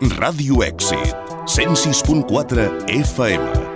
Ràdio Èxit, 106.4 FM.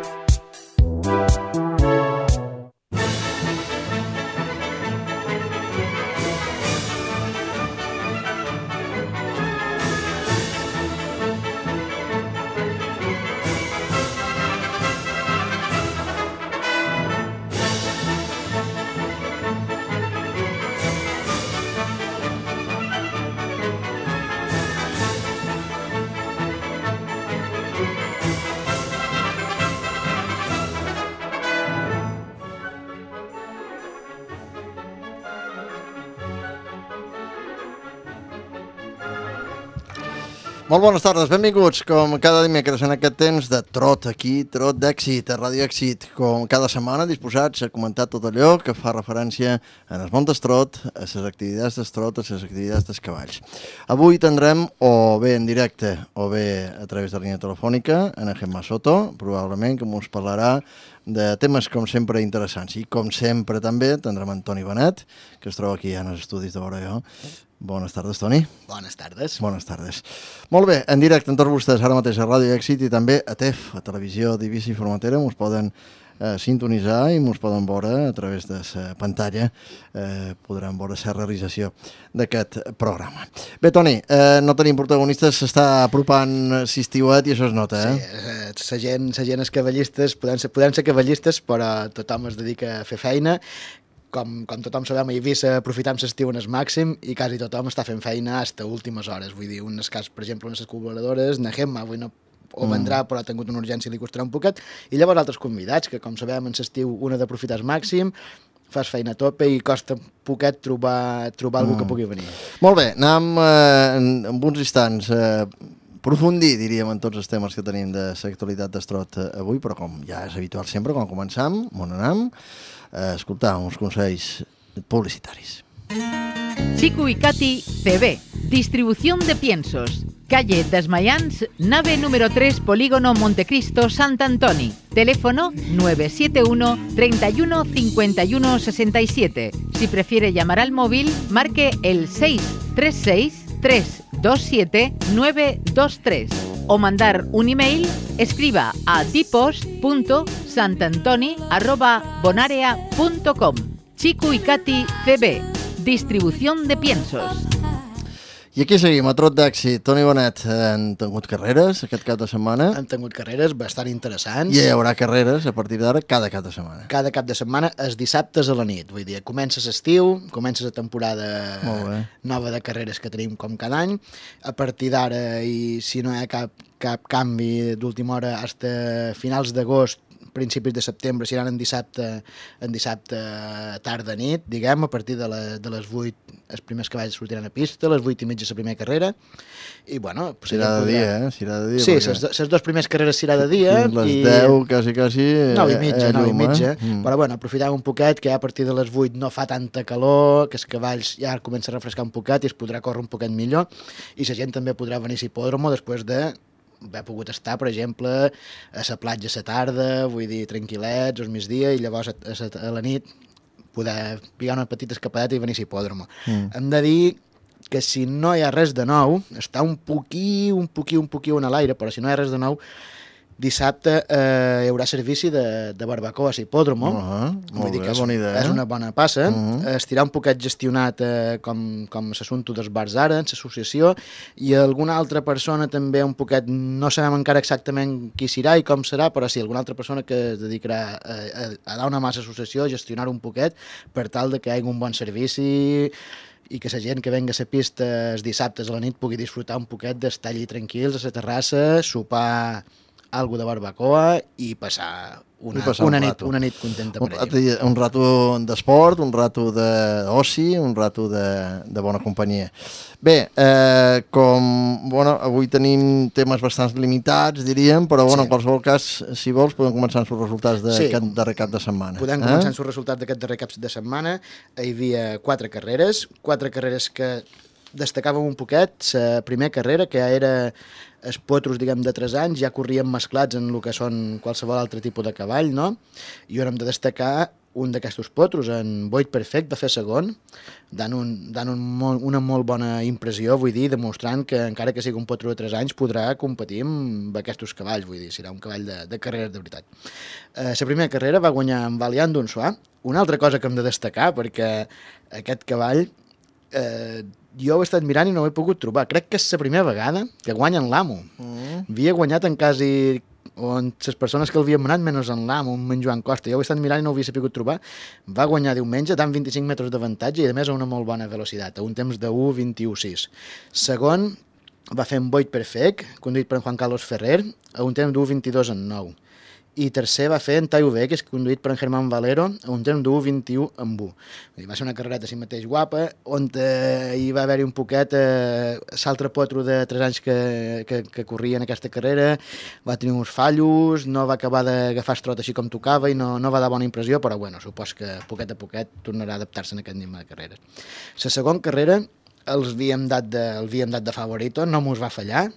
Molt bones tardes, benvinguts com cada dimecres en aquest temps de trot aquí, trot d'èxit, a Ràdio Èxit, com cada setmana disposats a comentar tot allò que fa referència en el món d'estrot, a les activitats d'estrot, a les activitats dels cavalls. Avui tindrem o bé en directe o bé a través de la línia telefònica en Gemma Soto, probablement que ens parlarà de temes com sempre interessants i com sempre també tindrem Toni Benet, que es troba aquí en els estudis de vora jo. Bones tardes, Toni. Bones tardes. Bones tardes. Molt bé, en directe amb tots vostès ara mateix a Ràdio Èxit i també a TEF, a Televisió d'Eivissa i Formentera, ens poden sintonitzar i ens poden veure a través de la pantalla, podran veure la realització d'aquest programa. Bé, Toni, no tenim protagonistes, s'està apropant l'estiuet i això es nota, eh? Sí, la gent és cavallistes, podem ser cavallistes, però tothom es dedica a fer feina. Com tothom sabem, a Eivissa aprofitam l'estiu en el màxim i quasi tothom està fent feina fins a últimes hores. Vull dir, un cas, per exemple, unes col·laboradores, na Gemma, avui no ho vendrà, però ha tingut una urgència i li costarà un poquet. I llavors altres convidats, que com sabem, en l'estiu un ha d'aprofitar al màxim, fas feina a tope i costa un poquet trobar algú que pugui venir. Molt bé, anem en uns instants aprofundir, diríem, en tots els temes que tenim de l'actualitat d'estrot avui, però com ja és habitual sempre, quan començam, on anem, escoltar uns consells publicitaris. Chico y Katy CB, distribución de piensos. Calle Desmayans, nave número 3, Polígono Montecristo, Sant Antoni. Teléfono 971 31 51 67. Si prefiere llamar al móvil, marque el 636 327 923. O mandar un email, escriba a dipos.santantoni@bonarea.com. Chico y Katy CB, distribución de piensos. I aquí seguim, a trot d'èxit. Toni Benet, han tingut carreres aquest cap de setmana? Han tingut carreres bastant interessants. I hi haurà carreres a partir d'ara cada cap de setmana. Cada cap de setmana, els dissabtes a la nit. Vull dir, comences l'estiu, comences la temporada nova de carreres que tenim com cada any. A partir d'ara, i si no hi ha cap canvi d'última hora, fins a finals d'agost, principis de setembre, seran en dissabte tarda-nit, diguem, a partir de les 8 els primers cavalls sortiran a pista, a les 8:30 la primera carrera, i bueno... Serà de dia, Serà de dia. Sí, les dues primeres carreres serà de dia. Les 10, quasi... 9:30, però bueno, aprofitem un poquet, que ja a partir de les 8 no fa tanta calor, que els cavalls ja comença a refrescar un poquet i es podrà córrer un poquet millor, i la gent també podrà venir a l'hipòdromo després de haver pogut estar, per exemple, a la platja a la tarda, vull dir, tranquil·lets, al migdia, i llavors a la nit poder pigar una petita escapadeta i venir a l'hipòdromo. Hem de dir que si no hi ha res de nou, està un poquí en l'aire, però si no hi ha res de nou, dissabte hi haurà servici de barbacoa a l'hipòdromo. Molt bé, bona idea. És una bona passa. Estirà un poquet gestionat com l'assumpte dels bars ara, en l'associació, i alguna altra persona també un poquet, no sabem encara exactament qui serà i com serà, però sí, alguna altra persona que es dedicarà a dar una mà a l'associació, a gestionar un poquet, per tal de que hi hagi un bon servici i que la gent que venga a la pista els dissabtes a la nit pugui disfrutar un poquet d'estar allí tranquils a la terrassa, sopar algo de barbacoa i passar una nit contenta per ell. Un rato d'esport, un rato d'oci, un rato de bona companyia. Bé, avui tenim temes bastant limitats, diríem, però en qualsevol cas, si vols, podem començar amb els resultats d'aquest darrer cap de setmana. Podem començar amb els resultats d'aquest darrer cap de setmana. Hi havia 4 carreres que destacàvem un poquet. La primera carrera, que era els potros, diguem, de 3 anys, ja corrien mesclats en el que són qualsevol altre tipus de cavall, no? I on hem de destacar un d'aquests potros, en Boyd Perfect, va fer segon, dant una molt bona impressió, vull dir, demostrant que encara que sigui un potro de 3 anys podrà competir amb aquests cavalls, vull dir, serà un cavall de carreres de veritat. La primera carrera va guanyar en Valiant d'Unsuà. Una altra cosa que hem de destacar, perquè aquest cavall jo ho he estat mirant i no ho he pogut trobar. Crec que és la primera vegada que guanya en l'Amo. Havia guanyat en quasi on les persones que l'havien manat menys en l'Amo, en Joan Costa. Jo ho he estat mirant i no ho havia sabut trobar. Va guanyar diumenge, dant 25 metres d'avantatge i a més a una molt bona velocitat, a un temps de 1:21.6. Segon va fer en Boyd Perfect, conduït per en Juan Carlos Ferrer, a un temps de 1:22.9. I tercer va fer en Taio V, que és conduït per en Germán Valero, a un temps de 1:21.1. Va ser una carrereta així mateix guapa, on hi va haver-hi un poquet l'altre potro de 3 anys que corria en aquesta carrera, va tenir uns fallos, no va acabar d'agafar el trot així com tocava i no va dar bona impressió, però bueno, supos que poquet a poquet tornarà a adaptar-se en aquest ritme de carreres. La segona carrera els havíem dat de favorito, no mos va fallar.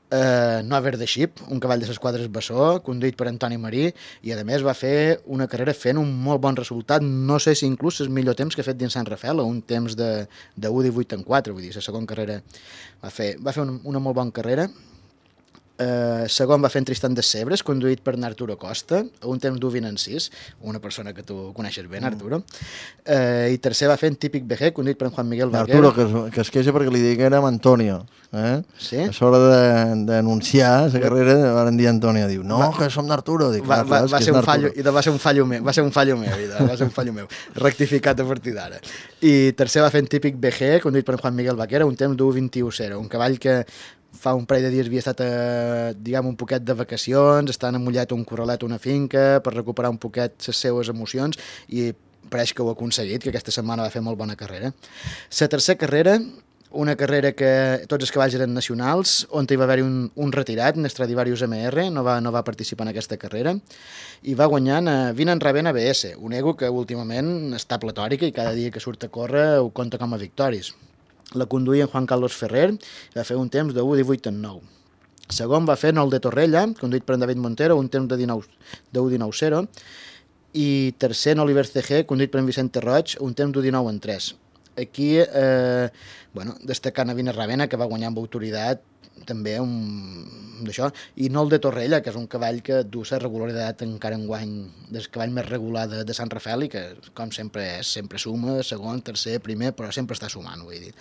Nover de Ship, un cavall de les quadres Bessó, conduït per Antoni Marí, i a més va fer una carrera fent un molt bon resultat, no sé si inclús el millor temps que ha fet dins Sant Rafael, un temps de 1:18.4, vull dir, la segona carrera va fer una molt bona carrera. Segon va fer en Tristan de Sebres, conduït per Arturo Costa, a un temps d'1:20.6, una persona que tu coneixes bé, Arturo. I tercer va fer en Típic BG, conduït per Juan Miguel Vaquer. Arturo, que es queixa perquè li diguérem Antonio. Sí? A l'hora d'anunciar la carrera van dir Antonio, diu, no, que som d'Arturo. Va ser un fallo, i va ser un fallo meu, rectificat a partir d'ara. I tercer va fer en Típic BG, conduït per Juan Miguel Vaquer, a un temps d'1:21.0, un cavall que fa un parell de dies havia estat un poquet de vacacions, està emullat un corralet a una finca per recuperar un poquet les seues emocions i pareix que ho ha aconseguit, que aquesta setmana va fer molt bona carrera. La tercera carrera, una carrera que tots els cavalls eren nacionals, on hi va haver-hi un retirat, un Stradivarius MR, no va participar en aquesta carrera, i va guanyant Vinan Ravena BS, un ego que últimament està platòrica i cada dia que surt a córrer ho compta com a victòries. La conduïa en Juan Carlos Ferrer, va fer un temps de 1:18.9. Segon va fer Nol de Torrella, conduït per en David Montero, un temps de 1:19.0. I tercer en Oliver CG, conduït per en Vicente Roig, un temps de 19.3. Aquí, destacant a Vina Ravena, que va guanyar amb autoritat també d'això, i Nol de Torrella, que és un cavall que du la regularitat encara enguany del cavall més regular de Sant Rafael i que, com sempre, sempre suma, segon, tercer, primer, però sempre està sumant, vull dir.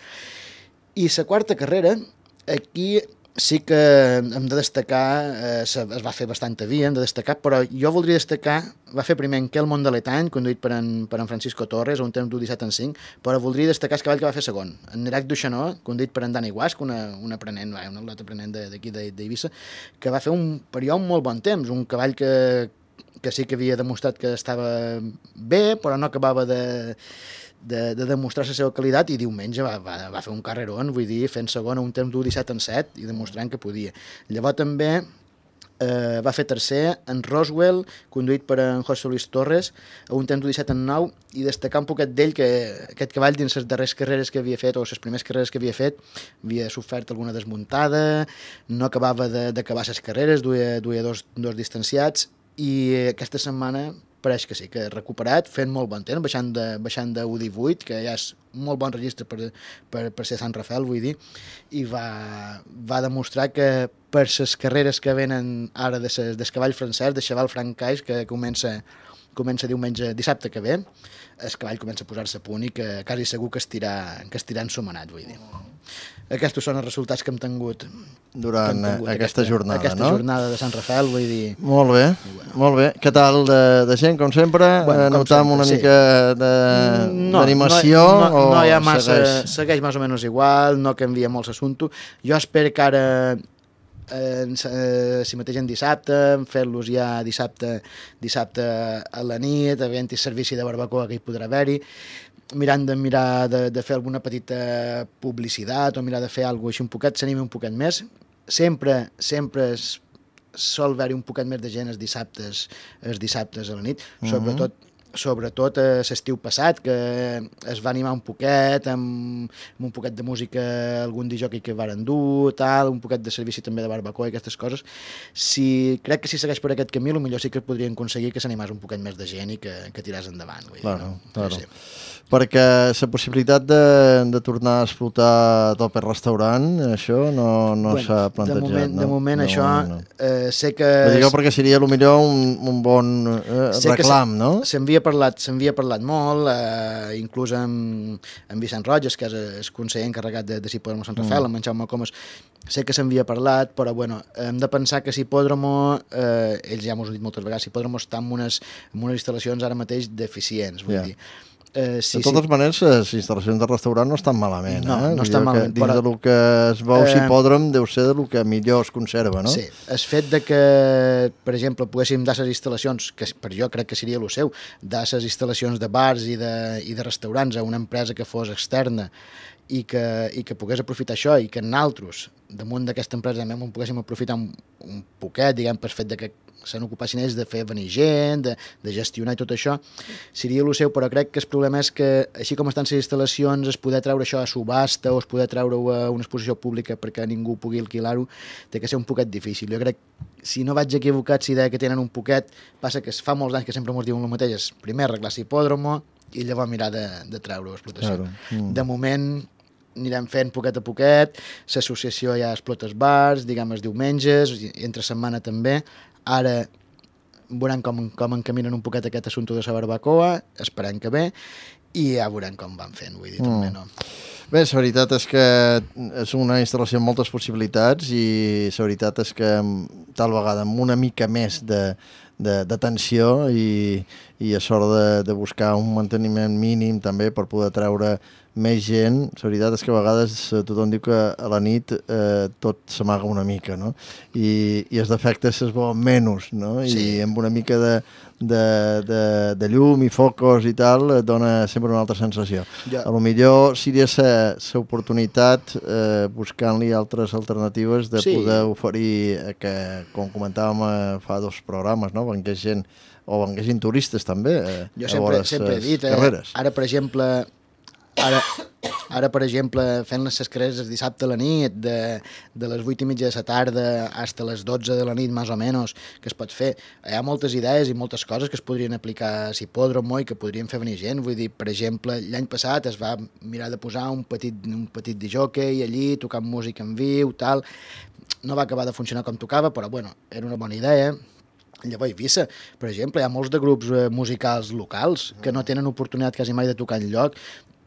I la quarta carrera, aquí sí que hem de destacar, es va fer bastant via, hem de destacar, però jo voldria destacar, va fer primer en Quel Mondaletany, conduït per en Francisco Torres, a un temps d'1:17.5, però voldria destacar el cavall que va fer segon, en Nerac Duixanó, conduït per en Dani Guasc, un aprenent, un atleta aprenent d'aquí d'Eivissa, que va fer un període molt bon temps, un cavall que sí que havia demostrat que estava bé, però no acabava de demostrar la seva qualitat, i diumenge va fer un carrerón, vull dir, fent segon a un temps d'1:17.7 i demostrant que podia. Llavors també va fer tercer en Roswell, conduït per en José Luis Torres, a un temps d'1:17.9, i destacar un poquet d'ell que aquest cavall dins les darreres carreres que havia fet, o les primeres carreres que havia fet, havia sofert alguna desmuntada, no acabava d'acabar les carreres, duia dos distanciats, i aquesta setmana pareix que sí, que ha recuperat, fent molt bon temps, baixant de 1:18, que ja és un molt bon registre per ser Sant Rafael, vull dir, i va demostrar que per les carreres que venen ara del cavall francès, de Cheval Francais, que comença dissabte que ve, el cavall comença a posar-se a punt i que quasi segur que estirà ensomenat, vull dir. Aquests són els resultats que hem tingut durant aquesta jornada, no? Aquesta jornada de Sant Rafael, vull dir... Molt bé, molt bé. Què tal de gent, com sempre? Notam una mica d'animació? No hi ha massa, segueix més o menys igual, no canvia molt l'assumpte. Jo espero que ara, si mateix en dissabte, fer-los ja dissabte a la nit, havent-hi servici de barbacoa que hi podrà haver-hi, mirant de fer alguna petita publicitat o mirar de fer alguna cosa així un poquet, s'anima un poquet més. Sempre sol haver-hi un poquet més de gent els dissabtes a la nit, sobretot sobretot l'estiu passat, que es va animar un poquet, amb un poquet de música, algun disjockey que varen dur, tal, un poquet de servici també de barbacoa i aquestes coses. Crec que si segueix per aquest camí, potser sí que podrien aconseguir que s'animés un poquet més de gent i que tiràs endavant. Claro. Sí. Perquè la possibilitat de tornar a explotar tot per restaurant, això no s'ha plantejat. De moment això sé que... Ho dic perquè seria potser un bon reclam, no? S'havia parlat molt, inclús amb Vicent Roges, que és el conseller encarregat de Sipòdromo Sant Rafael, amb en Jaume Comas, sé que s'havia parlat, però bueno, hem de pensar que Sipòdromo, ells ja m'ho han dit moltes vegades, Sipòdromo està en unes instal·lacions ara mateix deficients, vull dir. De totes maneres, les instal·lacions de restaurant no estan malament. No estan malament. Dins del que es veu Sipòdrom deu ser del que millor es conserva, no? Sí, el fet de que, per exemple, poguéssim dar les instal·lacions, que per jo crec que seria el seu, dar les instal·lacions de bars i de restaurants a una empresa que fos externa i que pogués aprofitar això i que nosaltres, damunt d'aquesta empresa, també ho poguéssim aprofitar un poquet, diguem, per fet de que se n'ocupassin ells de fer venir gent, de gestionar i tot això, seria el seu, però crec que el problema és que, així com estan les instal·lacions, es poder treure això a subhasta o es poder treure-ho a una exposició pública perquè ningú pugui alquilar-ho, té que ser un poquet difícil. Jo crec, si no vaig equivocat, si deia que tenen un poquet, passa que fa molts anys que sempre ens diuen el mateix, és primer arreglar Sipòdromo i llavors mirar de treure-ho a explotació. Claro. De moment anirem fent poquet a poquet, l'associació ja explota els bars, diguem els diumenges, entre setmana també. Ara veurem com encaminen un poquet aquest assumpte de la barbacoa, esperem que bé, i ja veurem com van fent, vull dir, també no. Bé, la veritat és que és una instal·lació amb moltes possibilitats i la veritat és que tal vegada amb una mica més d'atenció i a sort de buscar un manteniment mínim també per poder treure més gent, la veritat és que a vegades tothom diu que a la nit tot s'amaga una mica, no? I els defectes es veuen menys, no? I amb una mica de llum i focus i tal dona sempre una altra sensació. A lo millor seria l'oportunitat buscant-li altres alternatives de poder oferir, que com comentàvem fa 2 programes, no? Vengués gent o venguessin turistes també jo sempre he dit, ara per exemple fent les carreres dissabte a la nit de les 8:30 de la tarda fins a les 12 de la nit més o menys que es pot fer, hi ha moltes idees i moltes coses que es podrien aplicar a Sipòdromo i que podrien fer venir gent, vull dir, per exemple l'any passat es va mirar de posar un petit disjockey allí tocant música en viu, tal, no va acabar de funcionar com tocava, però bueno, era una bona idea. Llavors, Eivissa, per exemple, hi ha molts de grups musicals locals que no tenen oportunitat quasi mai de tocar enlloc.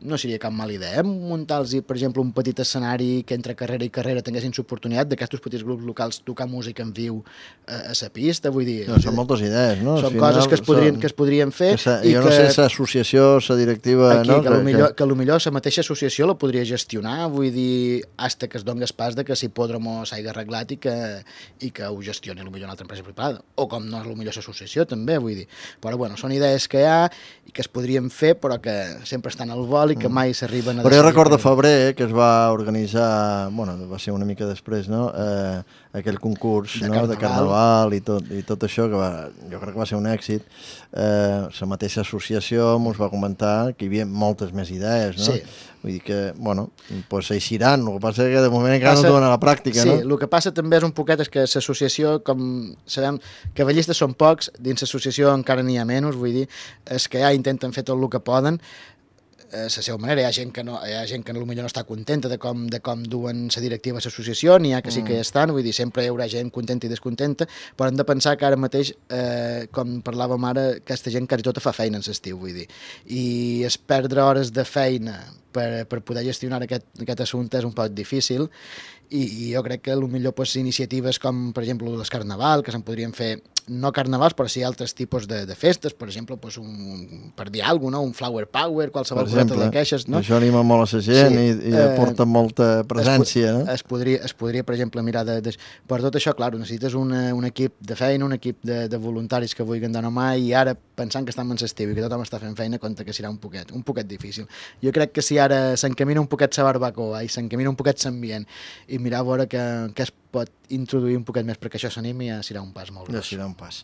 No seria cap mala idea muntar-los, per exemple, un petit escenari que entre carrera i carrera tinguessin l'oportunitat d'aquests petits grups locals tocar música en viu a la pista, vull dir... Són moltes idees, no? Són coses que es podrien fer... Jo no sé si l'associació, la directiva... Que potser la mateixa associació la podria gestionar, vull dir, fins que es doni pas de que Sipòdromo s'hagi arreglat i que ho gestioni potser una altra empresa privada, o com no és potser l'associació també, vull dir. Però bueno, són idees que hi ha i que es podrien fer, però que sempre estan al vol i que mai s'arriben a... Però jo recordo febrer que es va organitzar, bueno, va ser una mica després, no?, aquell concurs de carnaval i tot això, que jo crec que va ser un èxit. La mateixa associació ens va comentar que hi havia moltes més idees, no? Sí. Vull dir que, bueno, doncs eixiran, el que passa és que de moment encara no duen a la pràctica, no? Sí, el que passa també és un poquet és que l'associació, com sabem, cavallistes són pocs, dins l'associació encara n'hi ha menys, vull dir, és que ja intenten fer tot el que poden, la seva manera, hi ha gent que potser no està contenta de com duen la directiva a l'associació, n'hi ha que sí que hi estan, vull dir, sempre hi haurà gent contenta i descontenta, però hem de pensar que ara mateix, com parlàvem ara, aquesta gent quasi tota fa feina en l'estiu, vull dir, i es perdre hores de feina per poder gestionar aquest assumpte és un poc difícil, i jo crec que potser iniciatives com, per exemple, el carnaval, que se'n podrien fer, no carnavals, però sí altres tipus de festes, per exemple, per dir alguna cosa, un flower power, qualsevol cosa de queixes, no? Això anima molt a la gent i aporta molta presència, no? Es podria, per exemple, mirar per tot això, clar, necessites un equip de feina, un equip de voluntaris que vulguin donar mà, i ara, pensant que estem en l'estiu i que tothom està fent feina, compta que serà un poquet difícil. Jo crec que si hi ara s'encamina un poquet la barbacoa i s'encamina un poquet l'ambient i mirar a veure que es pot introduir un poquet més perquè això s'animi, ja serà un pas molt gros. Ja serà un pas.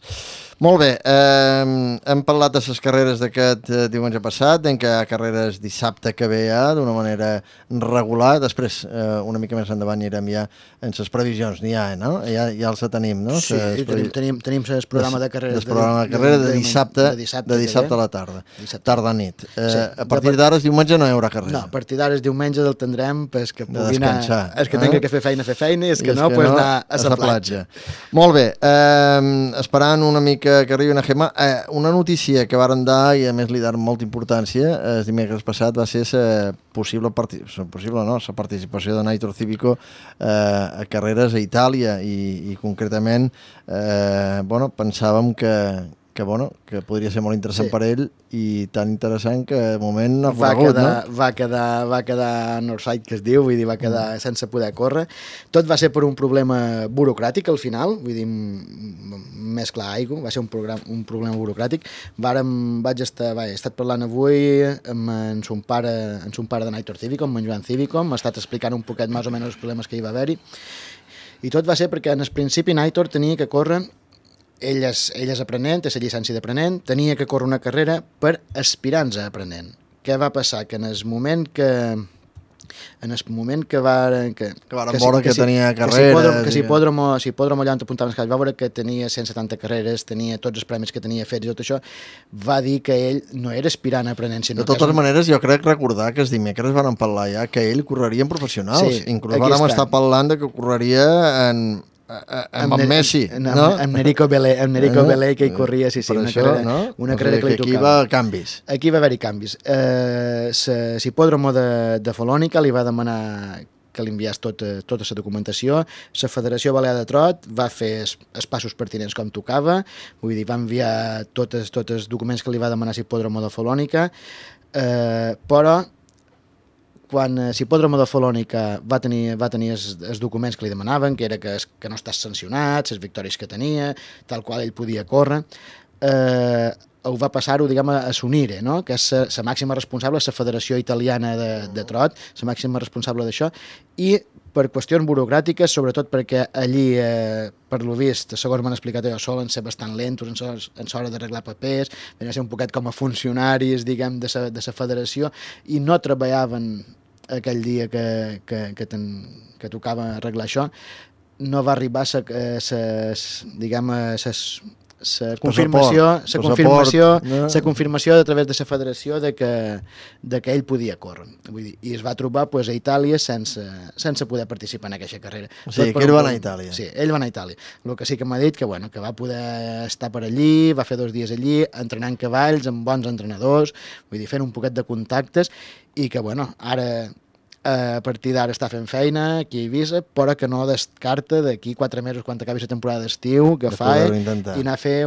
Molt bé, hem parlat de les carreres d'aquest diumenge passat, en què hi ha carreres dissabte que ve ja, d'una manera regular. Després, una mica més endavant, anirem ja en les previsions. N'hi ha, no? Ja els tenim, no? Sí, tenim el programa de carreres. El programa de carreres de dissabte a la tarda. Tarda-nit. A partir d'ara, diumenge, no hi haurà carrera. No, a partir d'ara, diumenge el tindrem perquè pugui anar... Els que tinguin que fer feina, i els que no, doncs anar a la platja. Molt bé, esperant una mica que arribi una Gemma, una notícia que varen dar i a més li dar molta importància el dimecres passat va ser la participació de Naitor Cívico a carreres a Itàlia i concretament pensàvem que podria ser molt interessant per ell i tan interessant que de moment no ha corregut, no? Va quedar Northside, que es diu, vull dir, va quedar sense poder córrer. Tot va ser per un problema burocràtic al final, vull dir, més clar aigua, va ser un problema burocràtic. He estat parlant avui amb en son pare de Naitor Cívico, amb en Joan Cívico, m'ha estat explicant un poquet més o menys els problemes que hi va haver-hi, i tot va ser perquè en el principi Naitor tenia que córrer. Ell és aprenent, té la llicència d'aprenent, tenia que córrer una carrera per aspirants a aprenent. Què va passar? Que en el moment que varen veure que tenia carreres... Que si Hipòdromo allà on t'apuntaven els calls va veure que tenia 170 carreres, tenia tots els premis que tenia fets i tot això, va dir que ell no era aspirant a aprenent, sinó de totes maneres, jo crec recordar que els dimecres van parlar ja que ell correria en professionals. Sí, inclús vam estar parlant de que correria amb Messi, no? Amb Nerico Belé, que hi corria, sí, una carrera que li tocava. Aquí va canvis. Aquí va haver-hi canvis. L'hipòdromo de Folònica li va demanar que li enviés tota la documentació. La Federació Balear de Trot va fer els passos pertinents com tocava, vull dir, va enviar tots els documents que li va demanar l'hipòdromo de Folònica, però quan l'hipòdromo de Folònica va tenir els documents que li demanaven, que era que no estàs sancionat, les victòries que tenia, tal qual ell podia córrer, ho va passar-ho, diguem, a s'unir, no? Que és la màxima responsable, la Federació Italiana de Trot, la màxima responsable d'això, i per qüestions burocràtiques, sobretot perquè allí, per lo vist, segons m'han explicat allò, solen ser bastant lentos en l'hora d'arreglar papers, venien a ser un poquet com a funcionaris, diguem, de la federació, i no treballaven aquell dia que tocava arreglar això. No va arribar la confirmació a través de la federació de que ell podia córrer. Vull dir, i es va trobar a Itàlia sense poder participar en aquesta carrera. O sigui, que ell va anar a Itàlia. Sí, ell va anar a Itàlia. El que sí que m'ha dit que va poder estar per allí, va fer 2 dies allí, entrenant cavalls amb bons entrenadors, vull dir, fent un poquet de contactes, i que, ara a partir d'ara està fent feina aquí a Eivissa, però que no descarta d'aquí 4 mesos, quan acabi la temporada d'estiu, agafar i anar a fer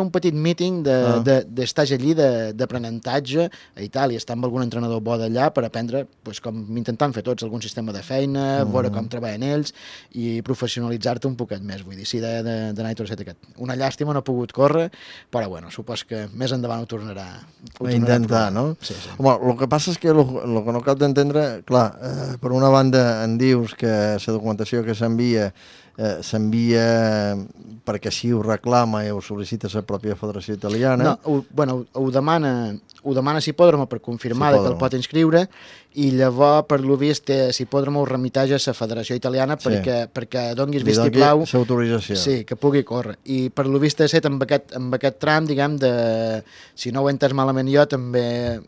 un petit míting d'estage allí d'aprenentatge a Itàlia, estar amb algun entrenador bo d'allà per aprendre, com intentant fer tots, algun sistema de feina, veure com treballen ells i professionalitzar-te un poquet més. Vull dir, sí, de Naitor Set aquest. Una llàstima, no ha pogut córrer, però supos que més endavant ho tornarà a intentar, no? Sí. Home, el que passa és que el que no cal d'entendre, clar, per una banda en dius que la documentació que s'envia perquè així ho reclama i ho sol·licita la pròpia Federació Italiana. No, ho demana l'hipòdromo per confirmar que el pot inscriure, i llavors, per lo vist, l'hipòdromo ho remiteix a la Federació Italiana perquè donguis vistiplau, sí, que pugui córrer. I per lo vist ha estat amb aquest tram, diguem, si no ho he entès malament jo, també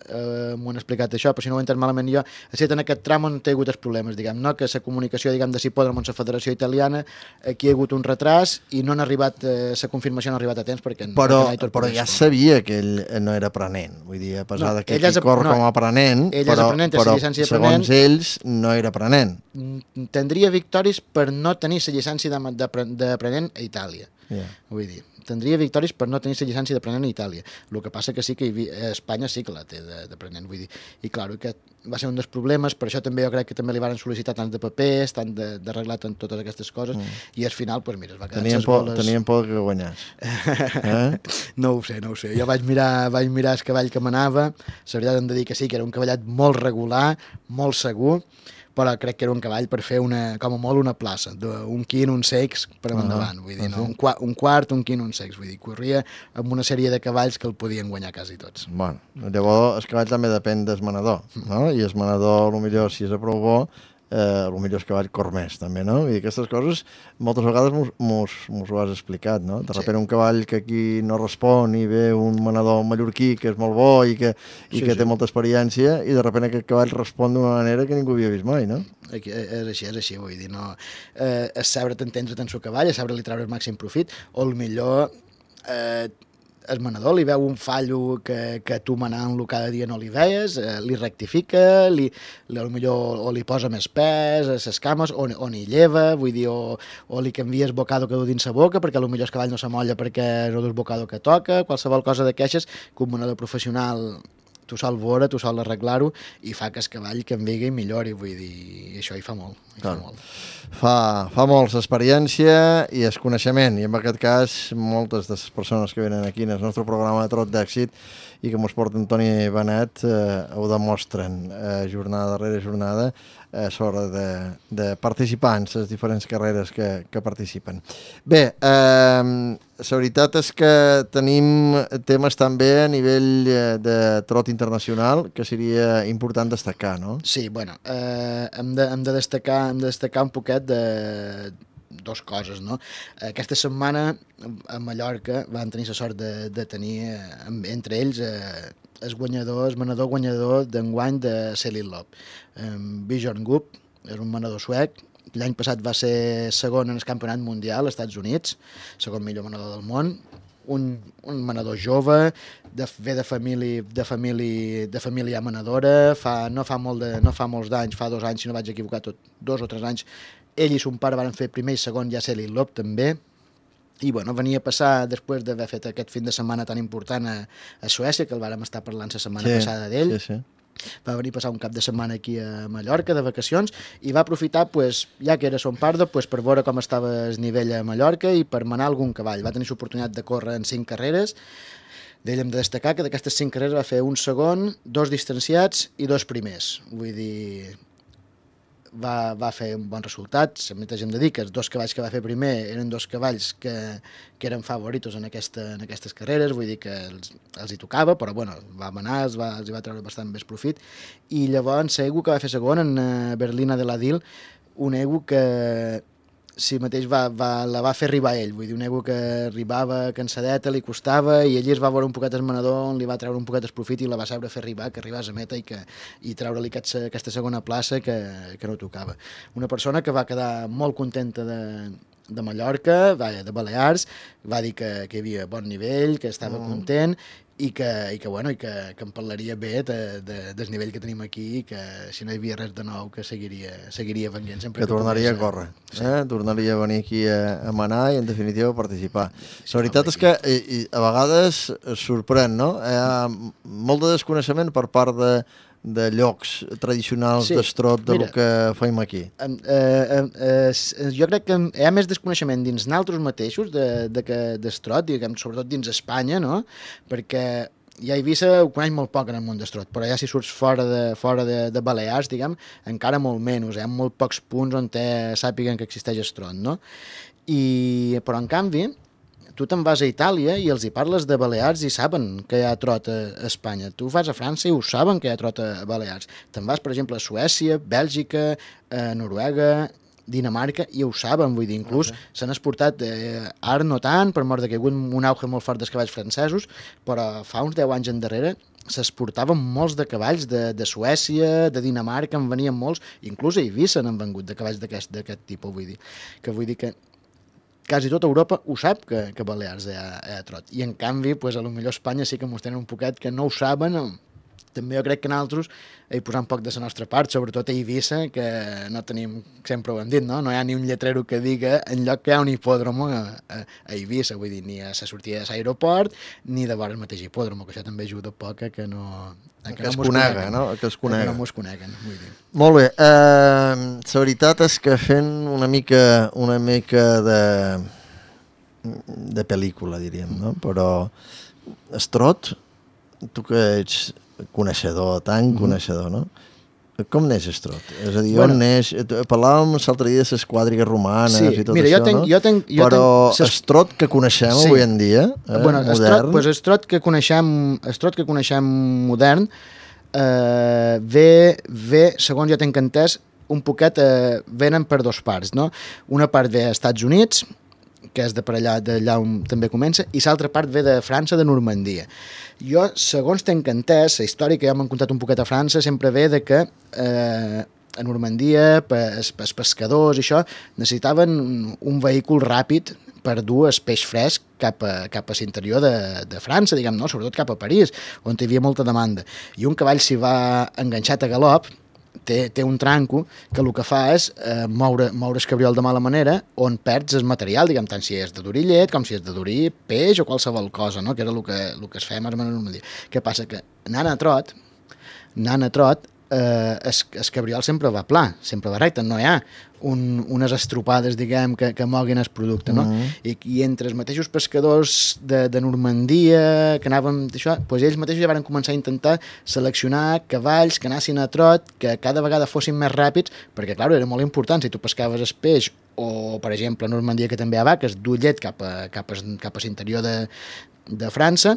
m'ho han explicat això, però si no ho he entès malament jo, ha estat en aquest tram on hi ha hagut els problemes, diguem, no? Que la comunicació, diguem, de l'hipòdromo amb la Federació Italiana, aquí hi ha hagut un retras i no han arribat, la confirmació no ha arribat a temps perquè... Però ja sabia que ell no era aprenent, vull dir, a pesar que ell corre com a aprenent, però segons ells no era aprenent. Tindria victòries per no tenir la llicència d'aprenent a Itàlia. Vull dir, tindria victòries per no tenir la llicència d'aprenent a Itàlia. El que passa que sí que a Espanya sí que la té d'aprenent, vull dir. I clar, que va ser un dels problemes, per això també jo crec que també li van sol·licitar tant de papers, tant d'arreglar tant totes aquestes coses, i al final, doncs mira, es va quedar ses boles... Tenien por que guanyés. No ho sé. Jo vaig mirar el cavall que manava, la veritat hem de dir que sí, que era un cavallet molt regular, molt segur, però crec que era un cavall per fer com a molt una plaça, un quin, un sex per endavant, vull dir, no? Un quart, un quin, un sex, vull dir, corria amb una sèrie de cavalls que el podien guanyar quasi tots. Bueno, llavors el cavall també depèn del manador, no? I el manador, potser si és prou bo, potser el cavall cor més, també, no? I aquestes coses moltes vegades mos ho has explicat, no? De sobte un cavall que aquí no respon i ve un manador mallorquí que és molt bo i que té molta experiència i de sobte aquest cavall respon d'una manera que ningú havia vist mai, no? És així, vull dir, no? És saber t'entendre tant el cavall, és saber-li treure el màxim profit, o millor el manador li veu un fallo que tu manant-lo cada dia no li veies, li rectifica, millor o li posa més pes a les cames, o n'hi lleva, vull dir, o li canvies bocado que du dins la boca, perquè potser el cavall no s'amolla perquè no dus bocado que toca, qualsevol cosa de queixes que un manador professional tu sol veure, tu sol arreglar-ho i fa que el cavall canviï i millori, vull dir, això hi fa molt. Fa molt l'experiència i el coneixement, i en aquest cas moltes de les persones que venen aquí en el nostre programa de Trot d'Èxit i que mos porta Toni Benet ho demostren jornada darrere jornada a l'hora de participar en les diferents carreres que participen. Bé, la veritat és que tenim temes també a nivell de trot internacional que seria important destacar, no? Sí, bueno, hem de destacar un poquet de dues coses, no? Aquesta setmana a Mallorca van tenir la sort de tenir entre ells el manador guanyador d'enguany de Selin Lop. Bjorn Goop és un manador suec, l'any passat va ser segon en el campionat mundial als Estats Units, segon millor manador del món, un manador jove, ve de família manadora, no fa molts d'anys, fa 2 anys, si no vaig equivocar, 2 o 3 anys, ell i son pare van fer primer i segon ja Selin Lop també, i bueno, venia a passar després d'haver fet aquest fin de setmana tan important a Suècia, que el vàrem estar parlant la setmana passada d'ell. Va venir a passar un cap de setmana aquí a Mallorca de vacacions i va aprofitar, ja que era son pardo, per veure com estava el nivell a Mallorca i per manar algun cavall. Va tenir l'oportunitat de córrer en 5 carreres. D'ell hem de destacar que d'aquestes 5 carreres va fer un segon, 2 distanciats i 2 primers. Vull dir, va fer un bon resultat. També hem de dir que els 2 cavalls que va fer primer eren 2 cavalls que eren favoritos en aquestes carreres, vull dir que els hi tocava, però bueno, va manar, els hi va treure bastant més profit. I llavors l'ego que va fer segon en Berlina de la Dil, un ego que si mateix la va fer arribar ell, vull dir, un ego que arribava cansadeta, li costava, i ell es va veure un poquet el manador, li va treure un poquet el profit i la va saber fer arribar, que arribés a meta i treure-li aquesta segona plaça que no tocava. Una persona que va quedar molt contenta de Mallorca, de Balears, va dir que hi havia bon nivell, que estava content, i que em parlaria bé del nivell que tenim aquí i que si no hi havia res de nou que seguiria venint sempre. Que tornaria a córrer, tornaria a venir aquí a manar i en definitiva a participar. La veritat és que a vegades sorprèn, no? Hi ha molt de desconeixement per part de llocs tradicionals d'estrot del que fem aquí. Jo crec que hi ha més desconeixement dins nosaltres mateixos d'estrot, sobretot dins Espanya, no? Perquè ja Eivissa ho coneix molt poc en el món d'estrot, però ja si surts fora de Balears, diguem, encara molt menys, hi ha molt pocs punts on sàpiguen que existeix estrot, no? Però en canvi, tu te'n vas a Itàlia i els hi parles de Balears i saben que hi ha trot a Espanya. Tu vas a França i ho saben que hi ha trot a Balears. Te'n vas, per exemple, a Suècia, Bèlgica, Noruega, Dinamarca, i ho saben, vull dir, inclús s'han exportat, ara no tant, per mort que hi ha hagut un auge molt fort dels cavalls francesos, però fa uns 10 anys endarrere s'exportaven molts de cavalls de Suècia, de Dinamarca, en venien molts, inclús a Eivissa n'han vengut de cavalls d'aquest tipus, vull dir que quasi tota Europa ho sap que Balears hi ha trot. I en canvi, potser Espanya sí que mos tenen un poquet que no ho saben, també jo crec que nosaltres hi posar un poc de la nostra part, sobretot a Eivissa, que no tenim, sempre ho hem dit, no? No hi ha ni un lletrero que diga enlloc que hi ha un hipòdromo a Eivissa, vull dir, ni a la sortida de l'aeroport, ni de vora el mateix hipòdromo, que això també ajuda poc a que no... Que es conega, no? Que es conega. Que no mos coneguen, vull dir. Molt bé. La veritat és que fent una mica de pel·lícula, diríem, no? Però Estrot, tu que ets coneixedor, tan coneixedor, no? Com neix Estrot? És a dir, on neix? Parlàvem l'altre dia de les quadrigues romanes i tot això, no? Però Estrot que coneixem avui en dia, modern... Estrot que coneixem modern, ve, segons jo tinc entès, un poquet venen per dos parts, no? Una part ve als Estats Units, que és d'allà on també comença, i l'altra part ve de França, de Normandia. Jo, segons tinc entès, la història que ja m'han contat un poquet a França sempre ve de que a Normandia, els pescadors i això, necessitaven un vehícul ràpid per dur el peix fresc cap a l'interior de França, diguem, no? Sobretot cap a París, on hi havia molta demanda. I un cavall s'hi va enganxat a galop, té un tranco que el que fa és moure el cabriol de mala manera on perds el material, diguem, tant si és de durir llet com si és de durir peix o qualsevol cosa, no? Que era el que es feia més o menys. Què passa? Que anant a trot, el cabriol sempre va pla, sempre va recte, no hi ha unes estropades, diguem, que moguin el producte, no? I entre els mateixos pescadors de Normandia que anaven d'això, doncs ells mateixos ja van començar a intentar seleccionar cavalls que anessin a trot, que cada vegada fossin més ràpids, perquè, clar, era molt important, si tu pescaves el peix o, per exemple, a Normandia, que també hi ha vaques, dur llet cap a l'interior de França,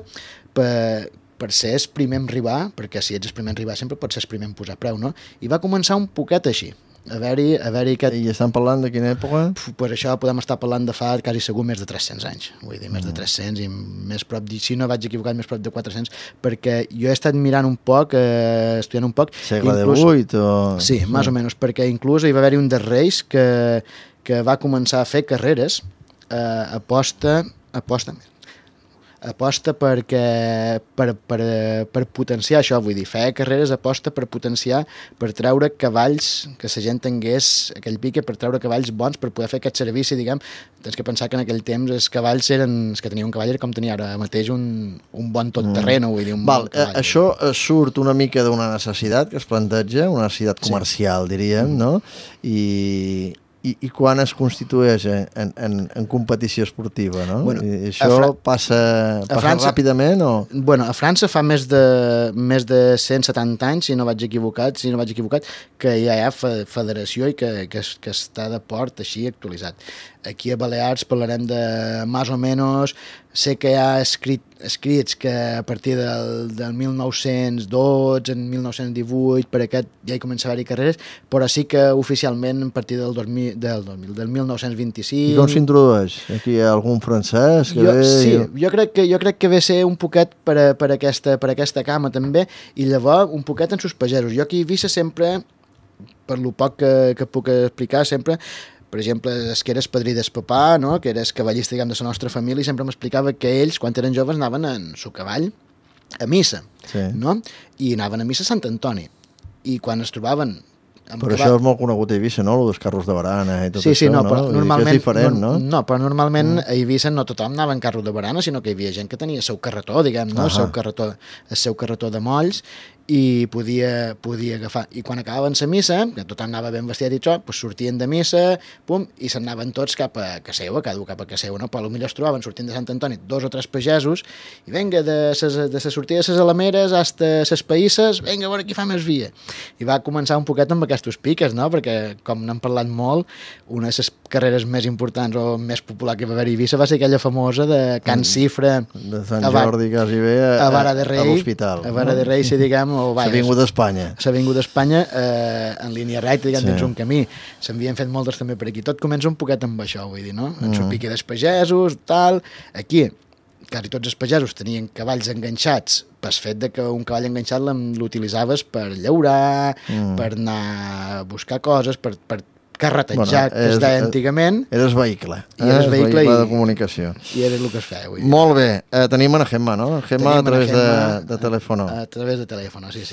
per ser el primer en arribar, perquè si ets el primer en arribar sempre pots ser el primer en posar preu, no? I va començar un poquet així, haver-hi aquest... I estan parlant de quina època? Pues això podem estar parlant de fa quasi segur més de 300 anys, vull dir, més de 300 i més prop, si no vaig equivocat, més prop de 400, perquè jo he estat mirant un poc, estudiant un poc... Segle XVIII o... Sí, més o menys, perquè inclús hi va haver-hi un dels reis que va començar a fer carreres, aposta perquè per potenciar això, vull dir, feia carreres aposta per potenciar, per treure cavalls, que la gent tingués aquell pique, per treure cavalls bons, per poder fer aquest servici, diguem. Tens que pensar que en aquell temps els cavalls eren, els que tenia un cavall era com tenia ara mateix un bon tot terreno, vull dir, un bon cavall. Això surt una mica d'una necessitat que es planteja, una necessitat comercial, diríem, no? I quan es constitueix en competició esportiva, no? Bueno, I això passa ràpidament o...? Bueno, a França fa més de 170 anys, si no vaig equivocat, que ja hi ha federació i que està de port així actualitzat. Aquí a Balears parlarem de més o menys, sé que hi ha escrits que a partir del 1912, en 1918, per aquest ja hi comença a haver-hi carreres, però sí que oficialment a partir del 1925... I com s'introdueix? Aquí hi ha algun francès que ve... Sí, jo crec que ve ser un poquet per aquesta cama també, i llavors un poquet en sus pagesos. Jo aquí a Eivissa sempre, per lo poc que puc explicar, sempre... Per exemple, que eres padrí del papà, no? Que eres cavallista, diguem, de la nostra família, i sempre m'explicava que ells, quan eren joves, anaven en su cavall a missa, no? I anaven a missa a Sant Antoni. I quan es trobaven... Però això és molt conegut a Eivissa, no? Els carros de barana i tot això, no? Però normalment, és diferent, no? No, però normalment a Eivissa no tothom anava en carro de barana, sinó que hi havia gent que tenia el seu carretó, diguem, no? El seu carretó de molls, i podia agafar. I quan acabaven la missa, que tothom anava ben vestit i això, doncs sortien de missa, pum, i s'anaven tots cap a Caseua, cada un cap a Caseua, no? Però potser es trobaven sortint de Sant Antoni 2 o 3 pagesos, i vinga, de la sortida de les Alameres fins a les Païsses, vinga, a veure qui fa més via. I va començar un poquet amb aquests piques, no? Perquè, com n'hem parlat molt, una de les carreres més importants o més popular que va haver a Eivissa va ser aquella famosa de Can Cifra, de Sant Jordi, quasi bé, a Vara de Rei, a l'hospital. A Vara de Rei, si diguem, S'Avinguda d'Espanya. S'Avinguda d'Espanya, en línia recta, diguem, dins un camí. S'havien fet moltes també per aquí. Tot comença un poquet amb això, vull dir, no? En su pique dels pagesos, tal. Aquí, quasi tots els pagesos tenien cavalls enganxats pel fet de que un cavall enganxat l'utilitzaves per llaurar, per anar a buscar coses, per carretejar, que es deia antigament. Eres vehicle. Eres vehicle de comunicació. I era el que es feia avui. Molt bé. Tenim a Gemma, ¿no? Gemma a través de teléfono. A través de teléfono, sí.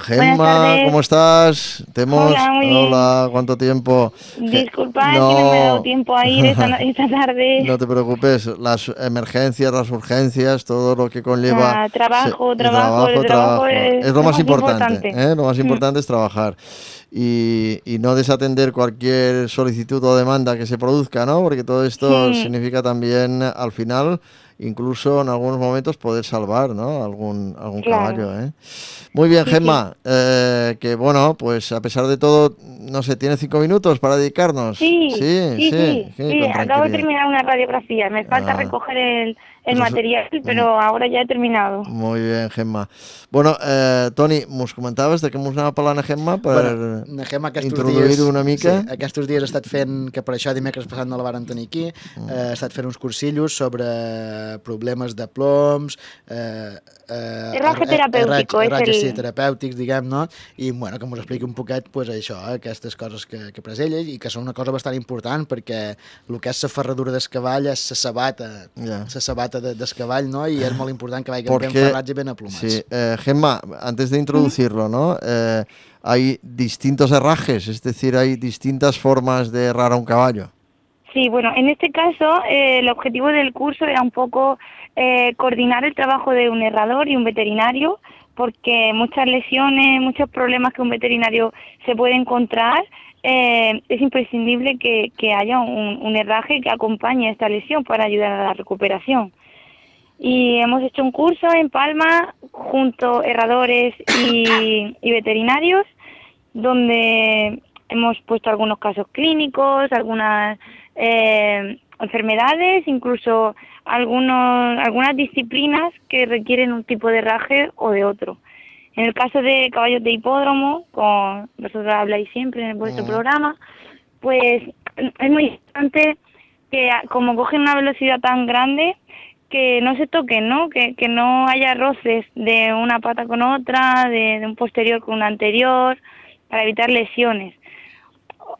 Gemma, ¿cómo estás? Hola, muy bien. Hola, ¿cuánto tiempo? Disculpa, es que no me he dado tiempo a ir esta tarde. No te preocupes, las emergencias, las urgencias, todo lo que conlleva... Trabajo es lo más importante. Lo más importante es trabajar. Y no desatender cualquier solicitud o demanda que se produzca, ¿no? Porque todo esto significa también, al final, incluso en algunos momentos, poder salvar, ¿no? Algún caballo, ¿eh? Muy bien, Gemma. Que bueno, pues a pesar de todo, no sé, ¿tienes 5 minutos para dedicarnos? Sí. Acabo de terminar una radiografía. Me falta recoger el material, però ara ja he terminat. Molt bé, Gemma. Bueno, Toni, mos comentaves de què mos anava parlant a Gemma per introduir-ho una mica? Sí, aquests dies he estat fent, que per això dimecres passat no la varen tenir aquí, he estat fent uns cursillos sobre problemes de ploms, Herratge terapèutic, terapèutics, diguem-ne, i bueno, que mos expliqui un poquet pues, això, aquestes coses que pres ella, i que són una cosa bastant important, perquè el que és la ferradura del cavall és la sabata del cavall, ¿no? Y es muy importante que vayan bien ferrats y bien aplumados. Sí, Gemma, antes de introducirlo, ¿no? Hay distintos herrajes, es decir, hay distintas formas de herrar a un caballo. Sí, bueno, en este caso el objetivo del curso era un poco coordinar el trabajo de un herrador y un veterinario, porque muchas lesiones, muchos problemas que un veterinario se puede encontrar, es imprescindible que haya un herraje que acompañe esta lesión para ayudar a la recuperación. Y hemos hecho un curso en Palma junto a herradores y veterinarios, donde hemos puesto algunos casos clínicos, algunas enfermedades, incluso algunas disciplinas que requieren un tipo de herraje o de otro. En el caso de caballos de hipódromo, con vosotros habláis siempre en vuestro programa, pues es muy importante que como cogen una velocidad tan grande, que no se toquen, ¿no? Que no haya roces de una pata con otra, de un posterior con un anterior, para evitar lesiones.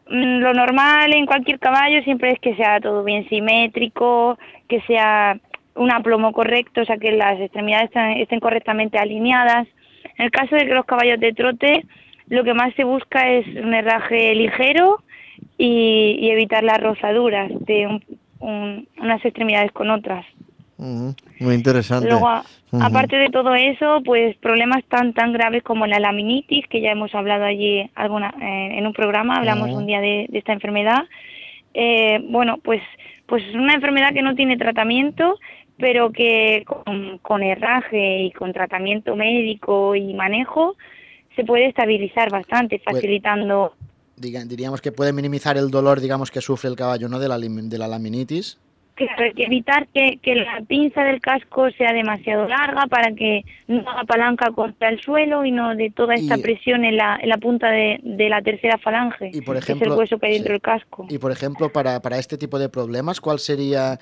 Lo normal en cualquier caballo siempre es que sea todo bien simétrico, que sea un aplomo correcto, o sea que las extremidades estén correctamente alineadas. En el caso de que los caballos de trote, lo que más se busca es un herraje ligero y evitar las rozaduras de unas extremidades con otras. Muy interesante. Luego, aparte de todo eso, pues problemas tan graves como la laminitis, que ya hemos hablado allí en un programa, hablamos un día de esta enfermedad. Bueno, pues es una enfermedad que no tiene tratamiento, pero que con herraje y con tratamiento médico y manejo se puede estabilizar bastante, facilitando... Diríamos que puede minimizar el dolor, digamos, que sufre el caballo, ¿no?, de la laminitis. Claro, hay que evitar que la pinza del casco sea demasiado larga para que no haga palanca contra el suelo y no de toda esta presión en la punta de la tercera falange, y por ejemplo, que es el hueso que hay dentro del casco. Y por ejemplo, para este tipo de problemas, ¿cuál sería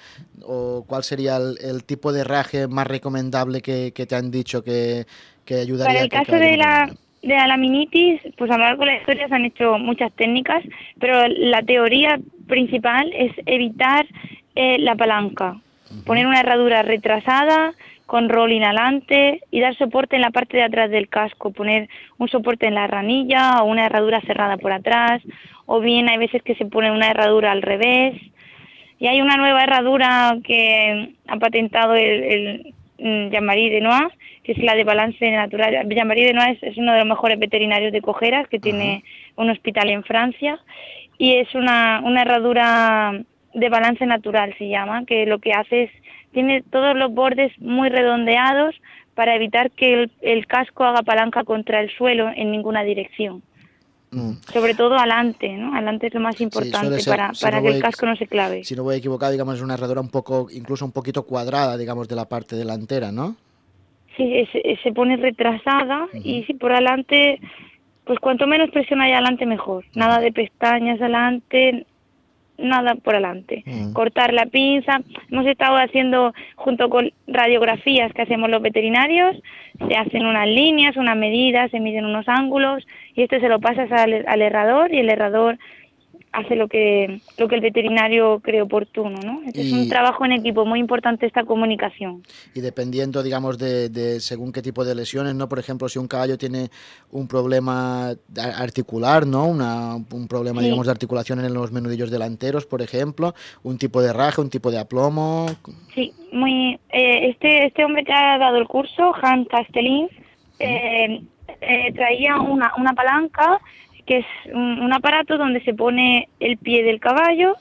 el tipo de herraje más recomendable que te han dicho que ayudaría? Para el caso de la laminitis, pues a lo largo de la historia se han hecho muchas técnicas, pero la teoría principal es evitar la palanca, poner una herradura retrasada con rol inhalante y dar soporte en la parte de atrás del casco, poner un soporte en la ranilla o una herradura cerrada por atrás, o bien hay veces que se pone una herradura al revés. Y hay una nueva herradura que ha patentado el Jean-Marie Denois, que es la de balance natural. Jean-Marie Denois es uno de los mejores veterinarios de cojeras que tiene un hospital en Francia, y es una herradura de balance natural, se llama, que lo que hace es, tiene todos los bordes muy redondeados para evitar que el casco haga palanca contra el suelo en ninguna dirección. Sobre todo adelante, ¿no? Adelante es lo más importante, sí, para que el casco no se clave. Si no voy equivocado, digamos, es una herradura incluso un poquito cuadrada, digamos, de la parte delantera, ¿no? Sí, se pone retrasada y si por adelante, pues cuanto menos presión haya adelante mejor. Nada de pestañas adelante, nada por adelante. Cortar la pinza. Hemos estado haciendo, junto con radiografías que hacemos los veterinarios, se hacen unas líneas, unas medidas, se miden unos ángulos, y esto se lo pasas al herrador, y el herrador hace lo que el veterinario cree oportuno, ¿no? Es un trabajo en equipo, muy importante esta comunicación. Y dependiendo, digamos, de según qué tipo de lesiones, ¿no? Por ejemplo, si un caballo tiene un problema articular, ¿no? Un problema, sí, digamos, de articulación en los menudillos delanteros, por ejemplo, un tipo de raje, un tipo de aplomo. Sí, muy. Este hombre que ha dado el curso, Hans Castellins, traía una palanca, que es un aparato donde se pone el pie del caballo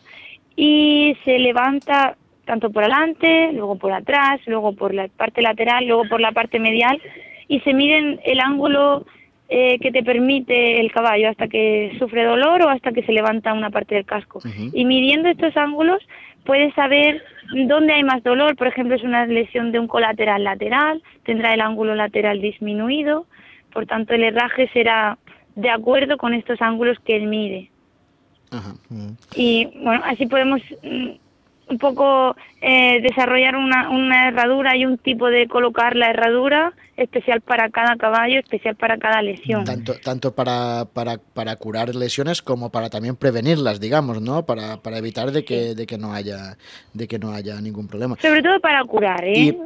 y se levanta tanto por adelante, luego por atrás, luego por la parte lateral, luego por la parte medial, y se miden el ángulo que te permite el caballo hasta que sufre dolor o hasta que se levanta una parte del casco. Y midiendo estos ángulos puedes saber dónde hay más dolor. Por ejemplo, es una lesión de un colateral lateral, tendrá el ángulo lateral disminuido, por tanto el herraje será de acuerdo con estos ángulos que él mide. Y bueno, así podemos un poco desarrollar una herradura y un tipo de colocar la herradura especial para cada caballo, especial para cada lesión. Tanto para curar lesiones como para también prevenirlas, digamos, ¿no? Para evitar de que no haya ningún problema. Sobre todo para curar, ¿eh? Y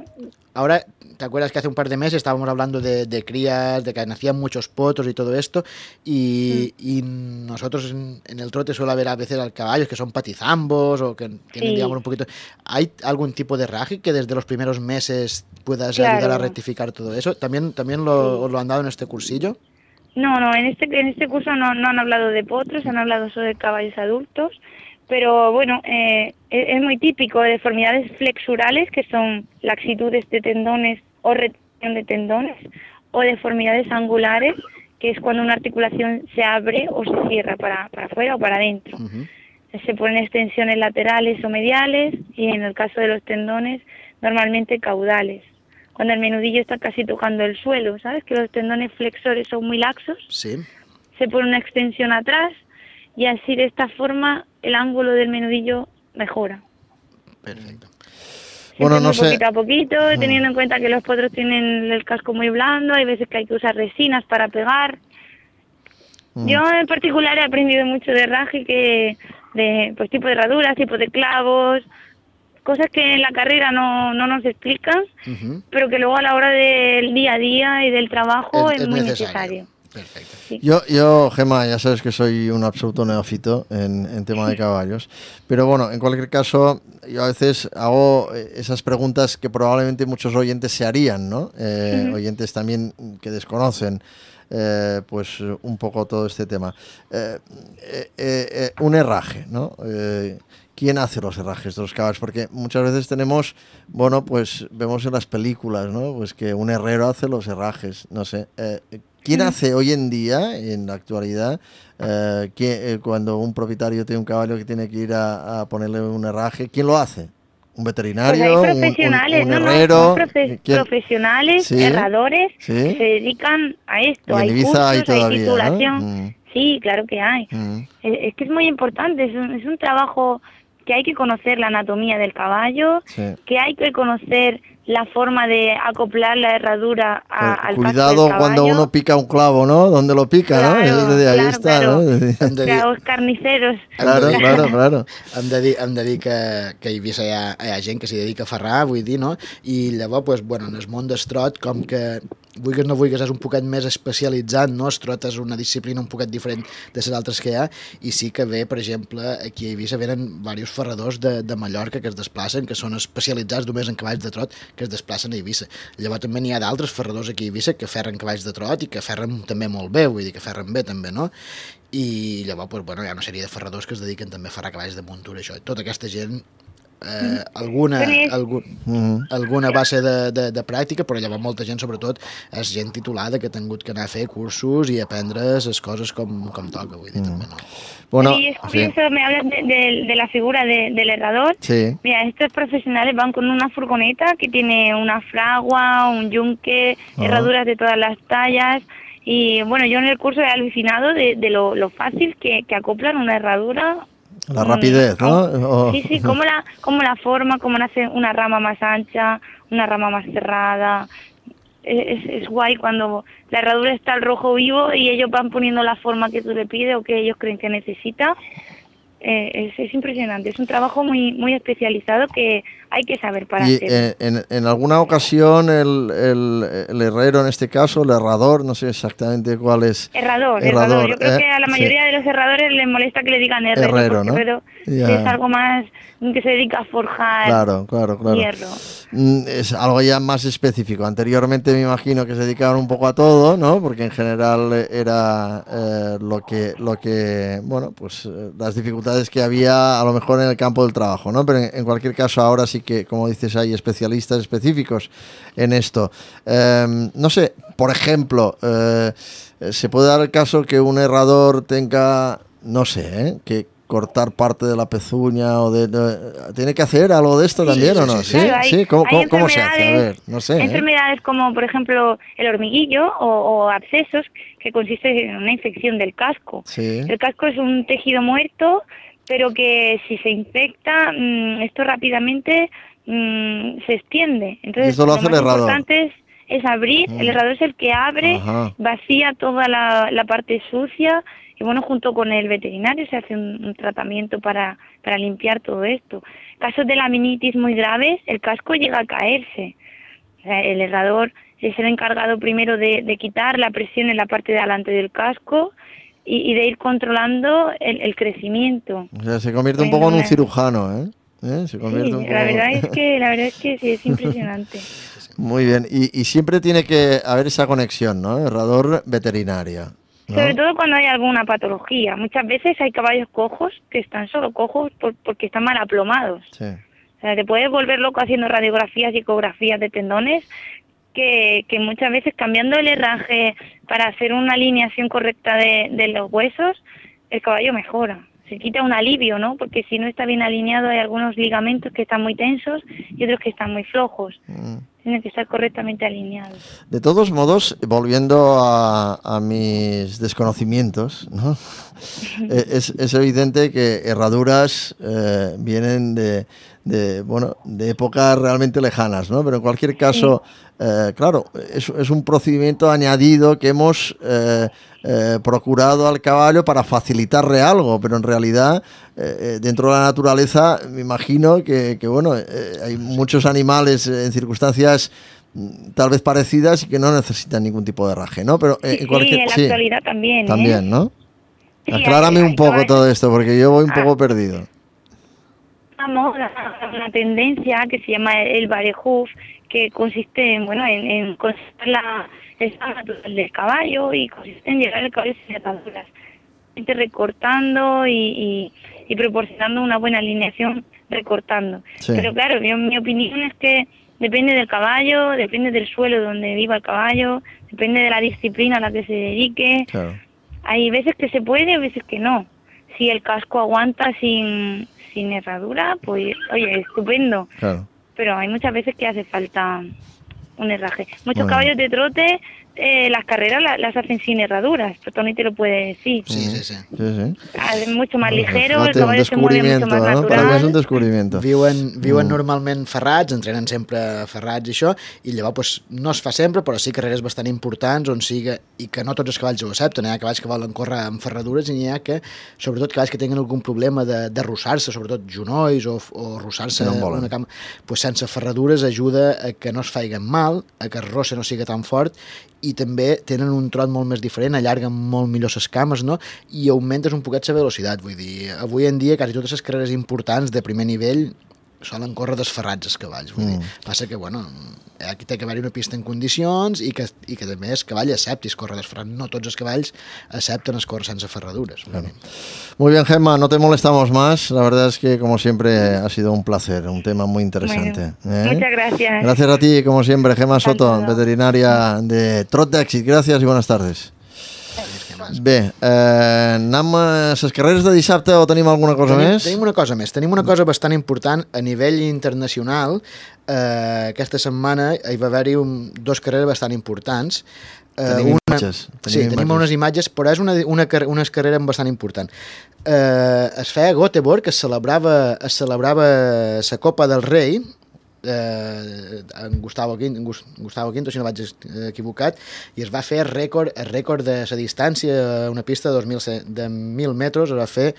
ahora, ¿te acuerdas que hace un par de meses estábamos hablando de crías, de que nacían muchos potros y todo esto? Y nosotros en el trote suele haber a veces caballos que son patizambos o que tienen, digamos, un poquito... ¿Hay algún tipo de raje que desde los primeros meses puedas ayudar a rectificar todo eso? ¿También os lo han dado en este cursillo? No, en este curso no han hablado de potros, han hablado solo de caballos adultos, pero bueno, es muy típico de deformidades flexurales, que son laxitudes de tendones o retención de tendones, o deformidades angulares, que es cuando una articulación se abre o se cierra para afuera o para adentro. Se ponen extensiones laterales o mediales, y en el caso de los tendones, normalmente caudales. Cuando el menudillo está casi tocando el suelo, ¿sabes? Que los tendones flexores son muy laxos. Sí. Se pone una extensión atrás, y así de esta forma el ángulo del menudillo mejora. Perfecto. Bueno, no sé. Poquito a poquito, teniendo en cuenta que los potros tienen el casco muy blando, hay veces que hay que usar resinas para pegar. Yo en particular he aprendido mucho de herraje, pues tipo de herraduras, tipo de clavos, cosas que en la carrera no nos explican, pero que luego a la hora del día a día y del trabajo es muy necesario. Perfecto. Sí. Yo, Gemma, ya sabes que soy un absoluto neófito en tema de caballos, pero bueno, en cualquier caso, yo a veces hago esas preguntas que probablemente muchos oyentes se harían, ¿no? Oyentes también que desconocen pues un poco todo este tema. Un herraje, ¿no? ¿Quién hace los herrajes de los caballos? Porque muchas veces tenemos, bueno, pues vemos en las películas, ¿no? Pues que un herrero hace los herrajes, no sé. ¿Quién hace hoy en día, en la actualidad, cuando un propietario tiene un caballo que tiene que ir a ponerle un herraje? ¿Quién lo hace? ¿Un veterinario? Pues hay profesionales, un herrero? Profesionales, herradores, que se dedican a esto. Hay cursos, hay titulación. ¿No? Sí, claro que hay. Es que es muy importante, es un trabajo que hay que conocer la anatomía del caballo, que hay que conocer la forma de acoplar la herradura al casco del Cuidado cuando uno pica un clavo, ¿no? ¿Dónde lo pica, claro, no? Ahí está, claro. ¿no? Los carniceros. Claro. Hem de dir que a Eivissa hi ha gent que s'hi dedica a ferrar, vull dir, no? I llavors, pues, bueno, en el món d'estrot, com que vulguis no vulguis, és un poquet més especialitzat, no? Estrot és una disciplina un poquet diferent de les altres que hi ha, i sí que ve, per exemple, aquí a Eivissa venen diversos ferradors de Mallorca que es desplacen, que són especialitzats només en cavalls de trot, que es desplacen a Eivissa. Llavors també n'hi ha d'altres ferradors aquí a Eivissa que ferren cavalls de trot i que ferren també molt bé, vull dir que ferren bé també, no? I llavors, pues, bueno, hi ha una sèrie de ferradors que es dediquen també a ferrar cavalls de muntura, això. Tota aquesta gent alguna base de pràctica, però llavors molta gent, sobretot, és gent titulada que ha tingut que anar a fer cursos i aprendre les coses com toca, vull dir, també, no? Bueno, sí, es curioso, me hablas de la figura del herrador. Sí. Mira, estos profesionales van con una furgoneta que tiene una fragua, un yunque, herraduras de todas las tallas. Y bueno, yo en el curso he alucinado de lo fácil que acoplan una herradura La rapidez, ¿no? Sí, cómo la forma, cómo nace una rama más ancha, una rama más cerrada. Es guay cuando la herradura está al rojo vivo y ellos van poniendo la forma que tú le pides o que ellos creen que necesita. Es impresionante, es un trabajo muy muy especializado que hay que saber para hacerlo. En alguna ocasión el herrero, en este caso, el herrador, no sé exactamente cuál es. Herrador. Yo creo que a la mayoría de los herradores les molesta que le digan herrero, porque ¿no? Es algo más que se dedica a forjar hierro. Es algo ya más específico. Anteriormente me imagino que se dedicaban un poco a todo, ¿no? Porque en general era lo que bueno, pues las dificultades que había a lo mejor en el campo del trabajo, ¿no? Pero en cualquier caso ahora sí que, como dices, hay especialistas específicos en esto. No sé, por ejemplo, se puede dar el caso que un herrador tenga, no sé, que cortar parte de la pezuña ¿tiene que hacer algo de esto también o no? Sí, claro, ¿Cómo se hace? A ver, no sé. Hay enfermedades como, por ejemplo, el hormiguillo o abscesos, que consiste en una infección del casco. Sí. El casco es un tejido muerto, pero que si se infecta, esto rápidamente se extiende. Entonces, esto lo hace el herrador. Lo más importante es abrir. El herrador es el que abre, vacía toda la parte sucia. Y bueno, junto con el veterinario se hace un tratamiento para limpiar todo esto. Casos de laminitis muy graves, el casco llega a caerse. O sea, el herrador es el encargado primero de quitar la presión en la parte de delante del casco y de ir controlando el crecimiento. O sea, se convierte un poco en un cirujano, ¿eh? Se convierte un poco... la verdad es que sí, es impresionante. Muy bien, y siempre tiene que haber esa conexión, ¿no? Herrador veterinaria, ¿no? Sobre todo cuando hay alguna patología. Muchas veces hay caballos cojos que están solo cojos porque están mal aplomados. Sí. O sea, te puedes volver loco haciendo radiografías y ecografías de tendones que muchas veces cambiando el herraje para hacer una alineación correcta de los huesos, el caballo mejora. Se quita un alivio, ¿no? Porque si no está bien alineado hay algunos ligamentos que están muy tensos y otros que están muy flojos. Tienen que estar correctamente alineados. De todos modos, volviendo a mis desconocimientos, ¿no? es evidente que herraduras vienen de épocas realmente lejanas, ¿no? Pero en cualquier caso, claro, es un procedimiento añadido que hemos procurado al caballo para facilitarle algo, pero en realidad dentro de la naturaleza me imagino que hay muchos animales en circunstancias tal vez parecidas y que no necesitan ningún tipo de herraje, ¿no? Pero en la actualidad también. También, ¿no? Sí, aclárame un poco todo esto, porque yo voy un poco perdido. Una tendencia que se llama el barehoof, que consiste en conservar el estado natural del caballo y consiste en llegar al caballo sin ataduras, recortando y proporcionando una buena alineación recortando. Sí. Pero claro, mi opinión es que depende del caballo, depende del suelo donde viva el caballo, depende de la disciplina a la que se dedique. Claro. Hay veces que se puede, hay veces que no. Si el casco aguanta sin herradura, pues oye, estupendo. Claro. Pero hay muchas veces que hace falta un herraje. Muchos caballos de trote, las carreras las hacen sin herraduras, pero Toni te lo puede decir. Sí. Es mucho más ligero, el caballo se mueve mucho más natural. Per mi és un descobriment. Viuen normalment ferrats, entrenen sempre ferrats i això, i llavors pues, no es fa sempre, però sí carreres bastant importants on siga, i que no tots els cavalls ho accepten. Hi ha cavalls que volen córrer amb ferradures i n'hi ha que, sobretot cavalls que tenen algun problema de rossar-se, sobretot genolls o rossar-se una cama, pues sense ferradures ajuda a que no es faiguen mal, a que el rosse no siga tan fort, i també tenen un trot molt més diferent, allarguen molt millor les cames, no? I augmentes un poquet la velocitat, vull dir, avui en dia quasi totes les carreres importants de primer nivell solen córrer desferrats els cavalls, vull dir. Passa que, aquí té que haver-hi una pista en condicions i que també el cavall accepti córrer desferrat. No tots els cavalls accepten córrer sense ferradures. Claro. Muy bien, Gemma, no te molestamos más. La verdad es que, como siempre, ha sido un placer, un tema muy interesante. Muchas gracias. Gracias a ti, como siempre, Gemma Soto, veterinaria de Trot d'Èxit. Gracias y buenas tardes. Bé, anem a les carreres de dissabte o tenim alguna cosa més? Tenim una cosa més, tenim una cosa bastant important a nivell internacional. Aquesta setmana hi va haver-hi 2 carreres bastant importants. Tenim imatges. Tenim unes imatges, però és una carrera bastant important. Es feia a Göteborg, que es celebrava la Copa del Rei, en Gustavo Quinto, si no vaig equivocat, i es va fer el rècord de la distància a una pista de 1.000 metres, es va fer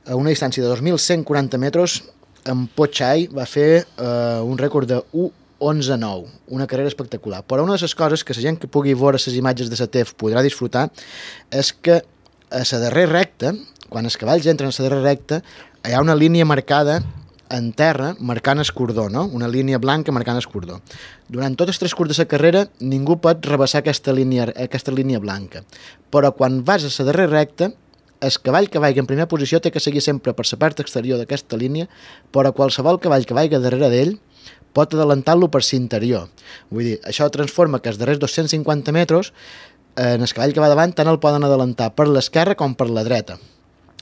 a una distància de 2.140 metres. En Pochai va fer un rècord de 1:11:9, una carrera espectacular. Però una de les coses que la gent que pugui veure les imatges de la TEF podrà disfrutar és que a la darrera recta, quan els cavalls entren a la darrera recta, hi ha una línia marcada en terra marcant el cordó, no? Una línia blanca marcant el cordó. Durant tot el transcurs de la carrera ningú pot rebassar aquesta línia blanca, però quan vas a la darrera recta, el cavall que vagi en primera posició té que seguir sempre per la part exterior d'aquesta línia, però qualsevol cavall que vagi darrere d'ell pot adelantar-lo per l'interior. Vull dir, això transforma que els darrers 250 metres en el cavall que va davant tant el poden adelantar per l'esquerra com per la dreta.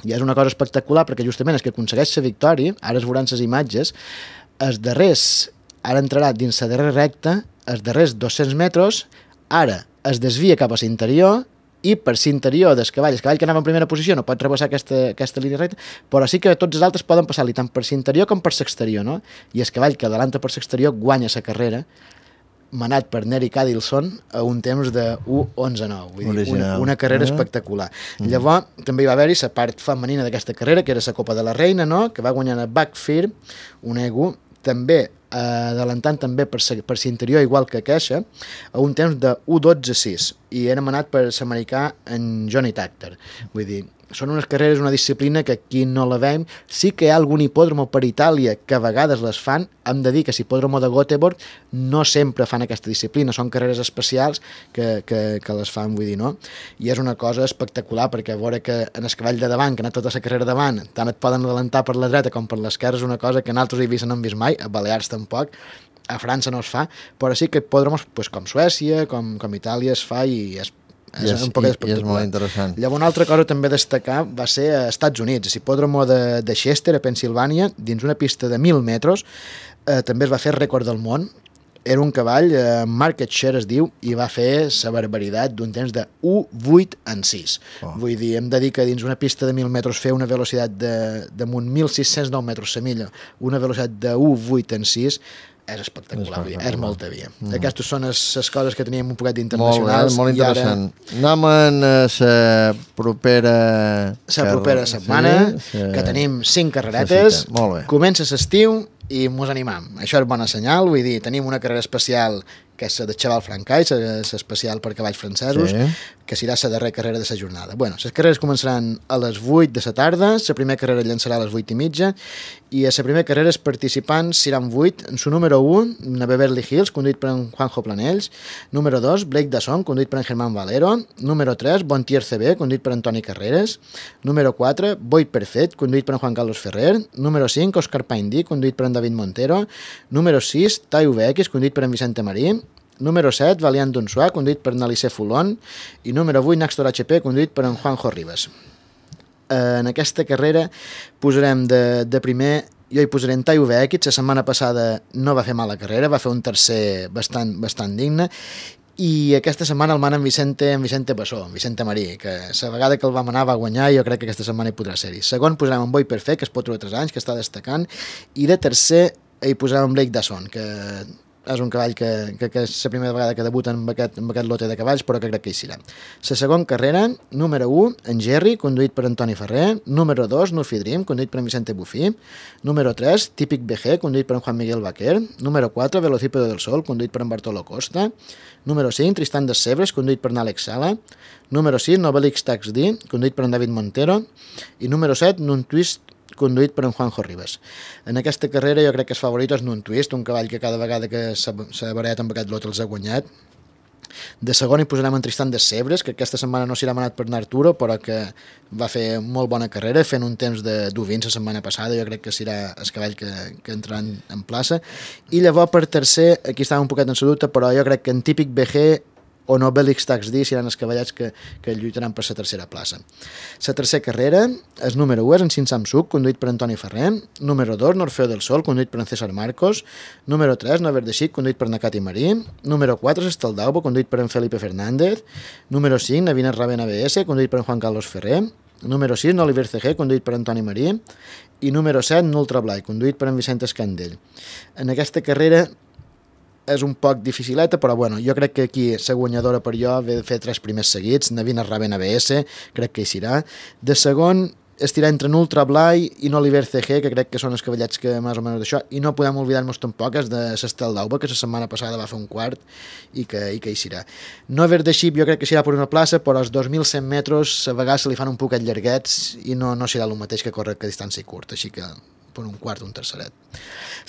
I és una cosa espectacular perquè justament és que aconsegueix la victòria, ara es veuran les imatges, els darrers, ara entrarà dins la darrera recta, els darrers 200 metres, ara es desvia cap a l'interior i per l'interior del cavall, el cavall que anava en primera posició no pot rebassar aquesta línia recta, però sí que tots els altres poden passar-li tant per l'interior com per l'exterior, no? I el cavall que adelanta per l'exterior guanya la carrera, manat per Neri Cadilson a un temps de 1:11:9. Vull dir, una carrera espectacular. Llavors, també hi va haver-hi la part femenina d'aquesta carrera, que era la Copa de la Reina, no? Que va guanyar a Backfear, un ego, també adelantant també per l'interior, igual que Queixa, a un temps de 1:12:6, i era manat per l'americà en Johnny Takter. Vull dir, són unes carreres, una disciplina que aquí no la veiem. Sí que hi ha algun hipòdromo per Itàlia que a vegades les fan. Hem de dir que l'hipòdromo de Göteborg no sempre fan aquesta disciplina, són carreres especials que les fan, vull dir, no? I és una cosa espectacular, perquè veure que en el cavall de davant, que ha anat tota la carrera davant, tant et poden adelantar per la dreta com per l'esquerra, és una cosa que en altres Eivissa no hem vist mai, a Balears tampoc, a França no es fa, però sí que hipòdromos com Suècia, com Itàlia es fa, i és un poc espectacular. I és molt interessant. Llavors, una altra cosa també a destacar va ser a Estats Units, a l'hipòdromo de Chester, a Pensilvània, dins una pista de 1.000 metres, també es va fer rècord del món. Era un cavall, Market Share es diu, i va fer la barbaritat d'un temps de 1:8:6. Vull dir, hem de dir que dins una pista de 1.000 metres fer una velocitat damunt 1.609 metres la milla, una velocitat de 1:8:6, és espectacular, és molta via. Aquestes són les coses que teníem un poquet d'internacionals. Molt interessant. Anem en la propera setmana, que tenim 5 carreretes. Comença l'estiu i mos animam. Això és bona senyal, vull dir, tenim una carrera especial que és la de Cheval Francais, l'especial per cavalls francesos, que serà la darrera carrera de la jornada. Bueno, les carreres començaran a les 8 de la tarda, la primera carrera llançarà a les 8:30, i a la primera carrera els participants seran 8, en su número 1, una Beverly Hills, conduït per en Juanjo Planells, número 2, Blake Dasson, conduït per en Germán Valero, número 3, Bontier CB, conduït per Antoni Carreras, número 4, Boy Perfect, conduït per en Juan Carlos Ferrer, número 5, Oscar Paindí, conduït per en David Montero, número 6, Tai VX, conduït per en Vicente Marí, número 7, Valiant Donsois, conduït per Nalissé Fulon, i número 8, Naxtor HP, conduït per en Juanjo Ribas. En aquesta carrera posarem de primer, jo hi posaré en Tai VX, la setmana passada no va fer mala carrera, va fer un tercer bastant digne, i aquesta setmana el mana en Vicente Bassó, en Vicente Marí, que la vegada que el va manar va guanyar, i jo crec que aquesta setmana hi podrà ser-hi. Segon posarem en Boy Perfect, que es pot trobar 3 anys, que està destacant, i de tercer hi posarem en Blake Dasson, que és un cavall que és la primera vegada que debuta amb aquest lote de cavalls, però que crec que hi serà. La segona carrera, número 1, en Jerry, conduït per Antoni Ferrer, número 2, Nufi Dream, conduït per en Vicente Bufí, número 3, Típic BG, conduït per en Juan Miguel Baquer, número 4, Velocípedo del Sol, conduït per en Bartolo Costa, número 5, Tristan de Sebres, conduït per en Àlex Sala, número 6, Novelix Tax D, conduït per en David Montero, i número 7, Nun Twist, conduït per en Juanjo Ribas. En aquesta carrera jo crec que el favorit és Nun Twist, un cavall que cada vegada que s'ha barallat amb aquest lot els ha guanyat. De segon hi posarem en Tristan de Sebres, que aquesta setmana no s'hi ha manat per en Arturo, però que va fer molt bona carrera, fent un temps de 1:20 la setmana passada, jo crec que serà el cavall que entrarà en plaça. I llavors per tercer, aquí estava un poquet en sa dubte, però jo crec que en Típic BG o Obelix Tax D seran els cavallets que lluitaran per la tercera plaça. La tercera carrera, el número 1 és en Sin Samsung, conduït per Antoni Ferrer, número 2, Norfeo del Sol, conduït per en César Marcos, número 3, Nover de Xic, conduït per Nakati Marí, número 4, Estaldaubo, conduït per en Felipe Fernández, número 5, Navina Raven ABS, conduït per en Juan Carlos Ferrer, número 6, Oliver CG, conduït per Antoni Marí, i número 7, Nultra Blai, conduït per en Vicent Escandell. En aquesta carrera és un poc dificileta, però bueno, jo crec que aquí la guanyadora per jo ve de fer 3 primers seguits, Navina Raven ABS, crec que hi serà. De segon, estirar entre Nultra Blai i Oliver CG, que crec que són els cavallets que més o menys d'això, i no podem oblidar-nos tampoc és de l'Estel d'Auba, que la setmana passada va fer un quart i que hi serà. Nover de Xip jo crec que serà per una plaça, però als 2.100 metres a vegades se li fan un poquet llarguets i no serà el mateix que córrer que a distància curta, així que per un quart o un terceret.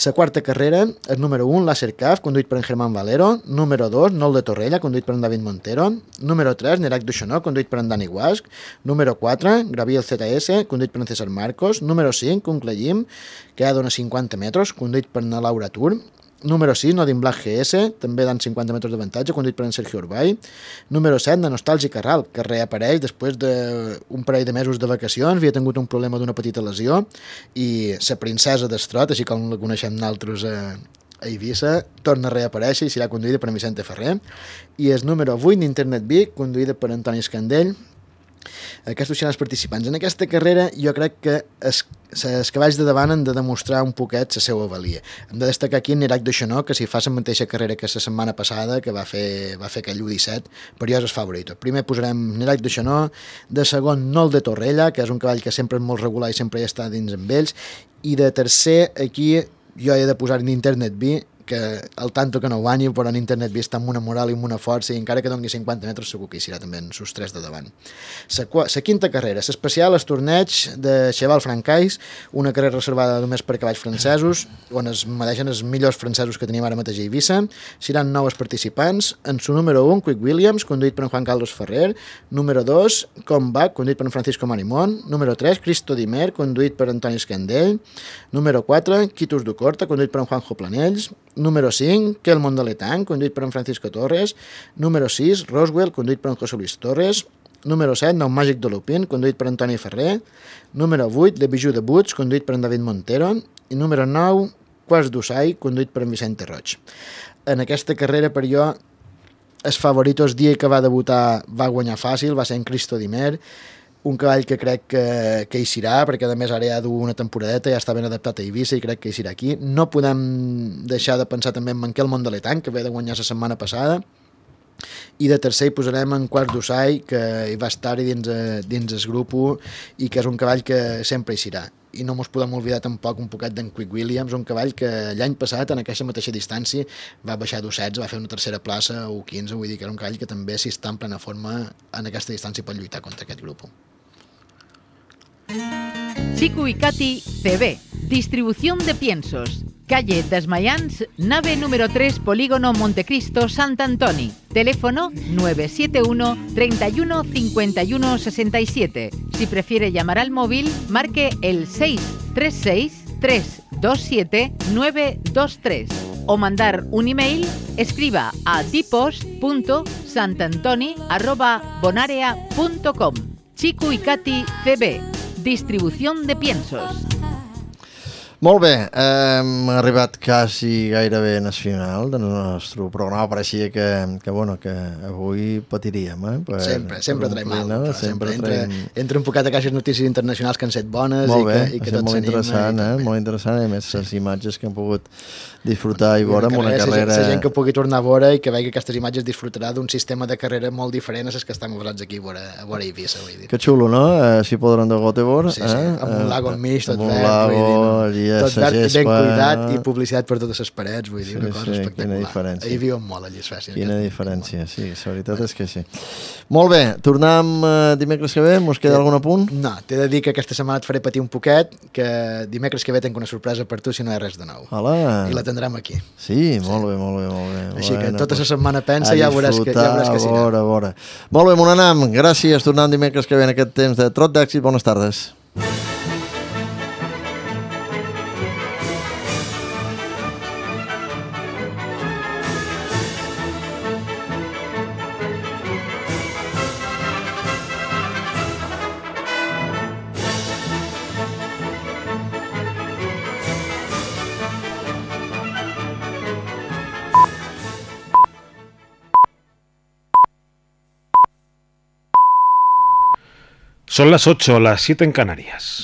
La quarta carrera, el número 1, Láser Caf, conduït per en Germán Valero, número 2, Nol de Torrella, conduït per en David Montero, número 3, Nerac Duixonó, conduït per en Dani Guasc, número 4, Graviel ZS, conduït per en César Marcos, número 5, Uncle Jim, que ha d'uns 50 metres, conduït per en Laura Tur, número 6, Nodin Black GS, també dan 50 metres d'avantatge, conduït per en Sergio Urbay. Número 7, de Nostàlgic Carral, que reapareix després d'un parell de mesos de vacacions, havia tingut un problema d'una petita lesió, i la princesa d'Estrot, així com la coneixem nosaltres a Eivissa, torna a reaparèixer i serà conduïda per en Vicente Ferrer. I el número 8, Internet Vic, conduïda per Antoni Escandell. Aquests seran els participants. En aquesta carrera jo crec que els cavalls de davant han de demostrar un poquet la seva valia. Hem de destacar aquí en Nerac Duixonó, que si fa la mateixa carrera que la setmana passada, que va fer aquell 1-17, per jo és el favorit. Primer posarem Nerac Duixonó, de segon Nol de Torrella, que és un cavall que sempre és molt regular i sempre hi està dins amb ells, i de tercer aquí jo he de posar en Internet B, que el tanto que no guanyi, però en Internet B està amb una moral i amb una força, i encara que doni 50 metres segur que hi serà també en sus 3 de davant. La quinta carrera, l'especial, el torneig de Cheval Francais, una carrera reservada només per cavalls francesos, on es mereixen els millors francesos que tenim ara mateix a Eivissa. Seran 9 participants. En su número 1, Quick Williams, conduït per en Juan Carlos Ferrer. Número 2, Combac, conduït per en Francisco Marimón. Número 3, Cristo Dimer, conduït per Antoni Escandell. Número 4, Quitus Ducorta, conduït per en Juanjo Planells. Número 5, Kelmon de Letang, conduït per en Francisco Torres. Número 6, Roswell, conduït per en José Luis Torres. Número 7, Nou Màgic de Lupin, conduït per Antoni Ferrer. Número 8, Le Bijou de Buts, conduït per en David Montero. I número 9, Quarts d'Usai, conduït per en Vicente Roig. En aquesta carrera, per jo, el favorit el dia que va debutar va guanyar fàcil, va ser en Cristo Dimer, un cavall que crec que hi serà, perquè a més ara ja du una temporadeta, ja està ben adaptat a Eivissa i crec que hi serà aquí. No podem deixar de pensar també en Kelmon de Letang, que ve de guanyar la setmana passada, i de tercer hi posarem en Quarts d'Usai, que hi va estar dins el grup i que és un cavall que sempre hi serà. I no ens podem oblidar tampoc un poquet d'en Quick Williams, un cavall que l'any passat en aquesta mateixa distància va baixar d'1-16, va fer una tercera plaça o 15, vull dir que era un cavall que també si està en plena forma en aquesta distància pot lluitar contra aquest grup. Chico y Katy CB, distribución de piensos. Calle Desmayans, nave número 3, Polígono Montecristo, Sant Antoni. Teléfono 971 31 51 67. Si prefiere llamar al móvil, marque el 636 327 923. O mandar un email, escriba a dipos.santantoni@bonarea.com. Chico y Katy CB, distribución de piensos. Molt bé, hem arribat quasi gairebé en el final del nostre programa. Pareixia que avui patiríem. Sempre traiem mal. Sempre entra un poquet a caixes notícies internacionals que han set bones i que tots s'anima. Molt interessant, a més les imatges que hem pogut disfrutar i veure amb una carrera... La gent que pugui tornar a veure i que vegi aquestes imatges disfrutarà d'un sistema de carrera molt diferent a les que estem posats aquí a veure Eivissa. Que xulo, no? Si podran de Göteborg. Sí, amb un lago al mig, tot verd. Tot verd, ben cuidat i publicitat per totes les parets, vull dir, una cosa espectacular. Ahir viuen molt a Suècia. Quina diferència, sí, la veritat és que sí. Molt bé, tornem dimecres que ve, mos queda algun apunt? No, t'he de dir que aquesta setmana et faré patir un poquet, que dimecres que ve tenc una sorpresa per tu si no hi ha res de nou. I la tindrem aquí. Sí, molt bé. Així que tota la setmana pensa i ja veuràs que sí. A veure. Molt bé, Monanam, gràcies, tornem dimecres que ve en aquest temps de Trot d'Èxit. Bones tardes. Son las 8, las 7 en Canarias.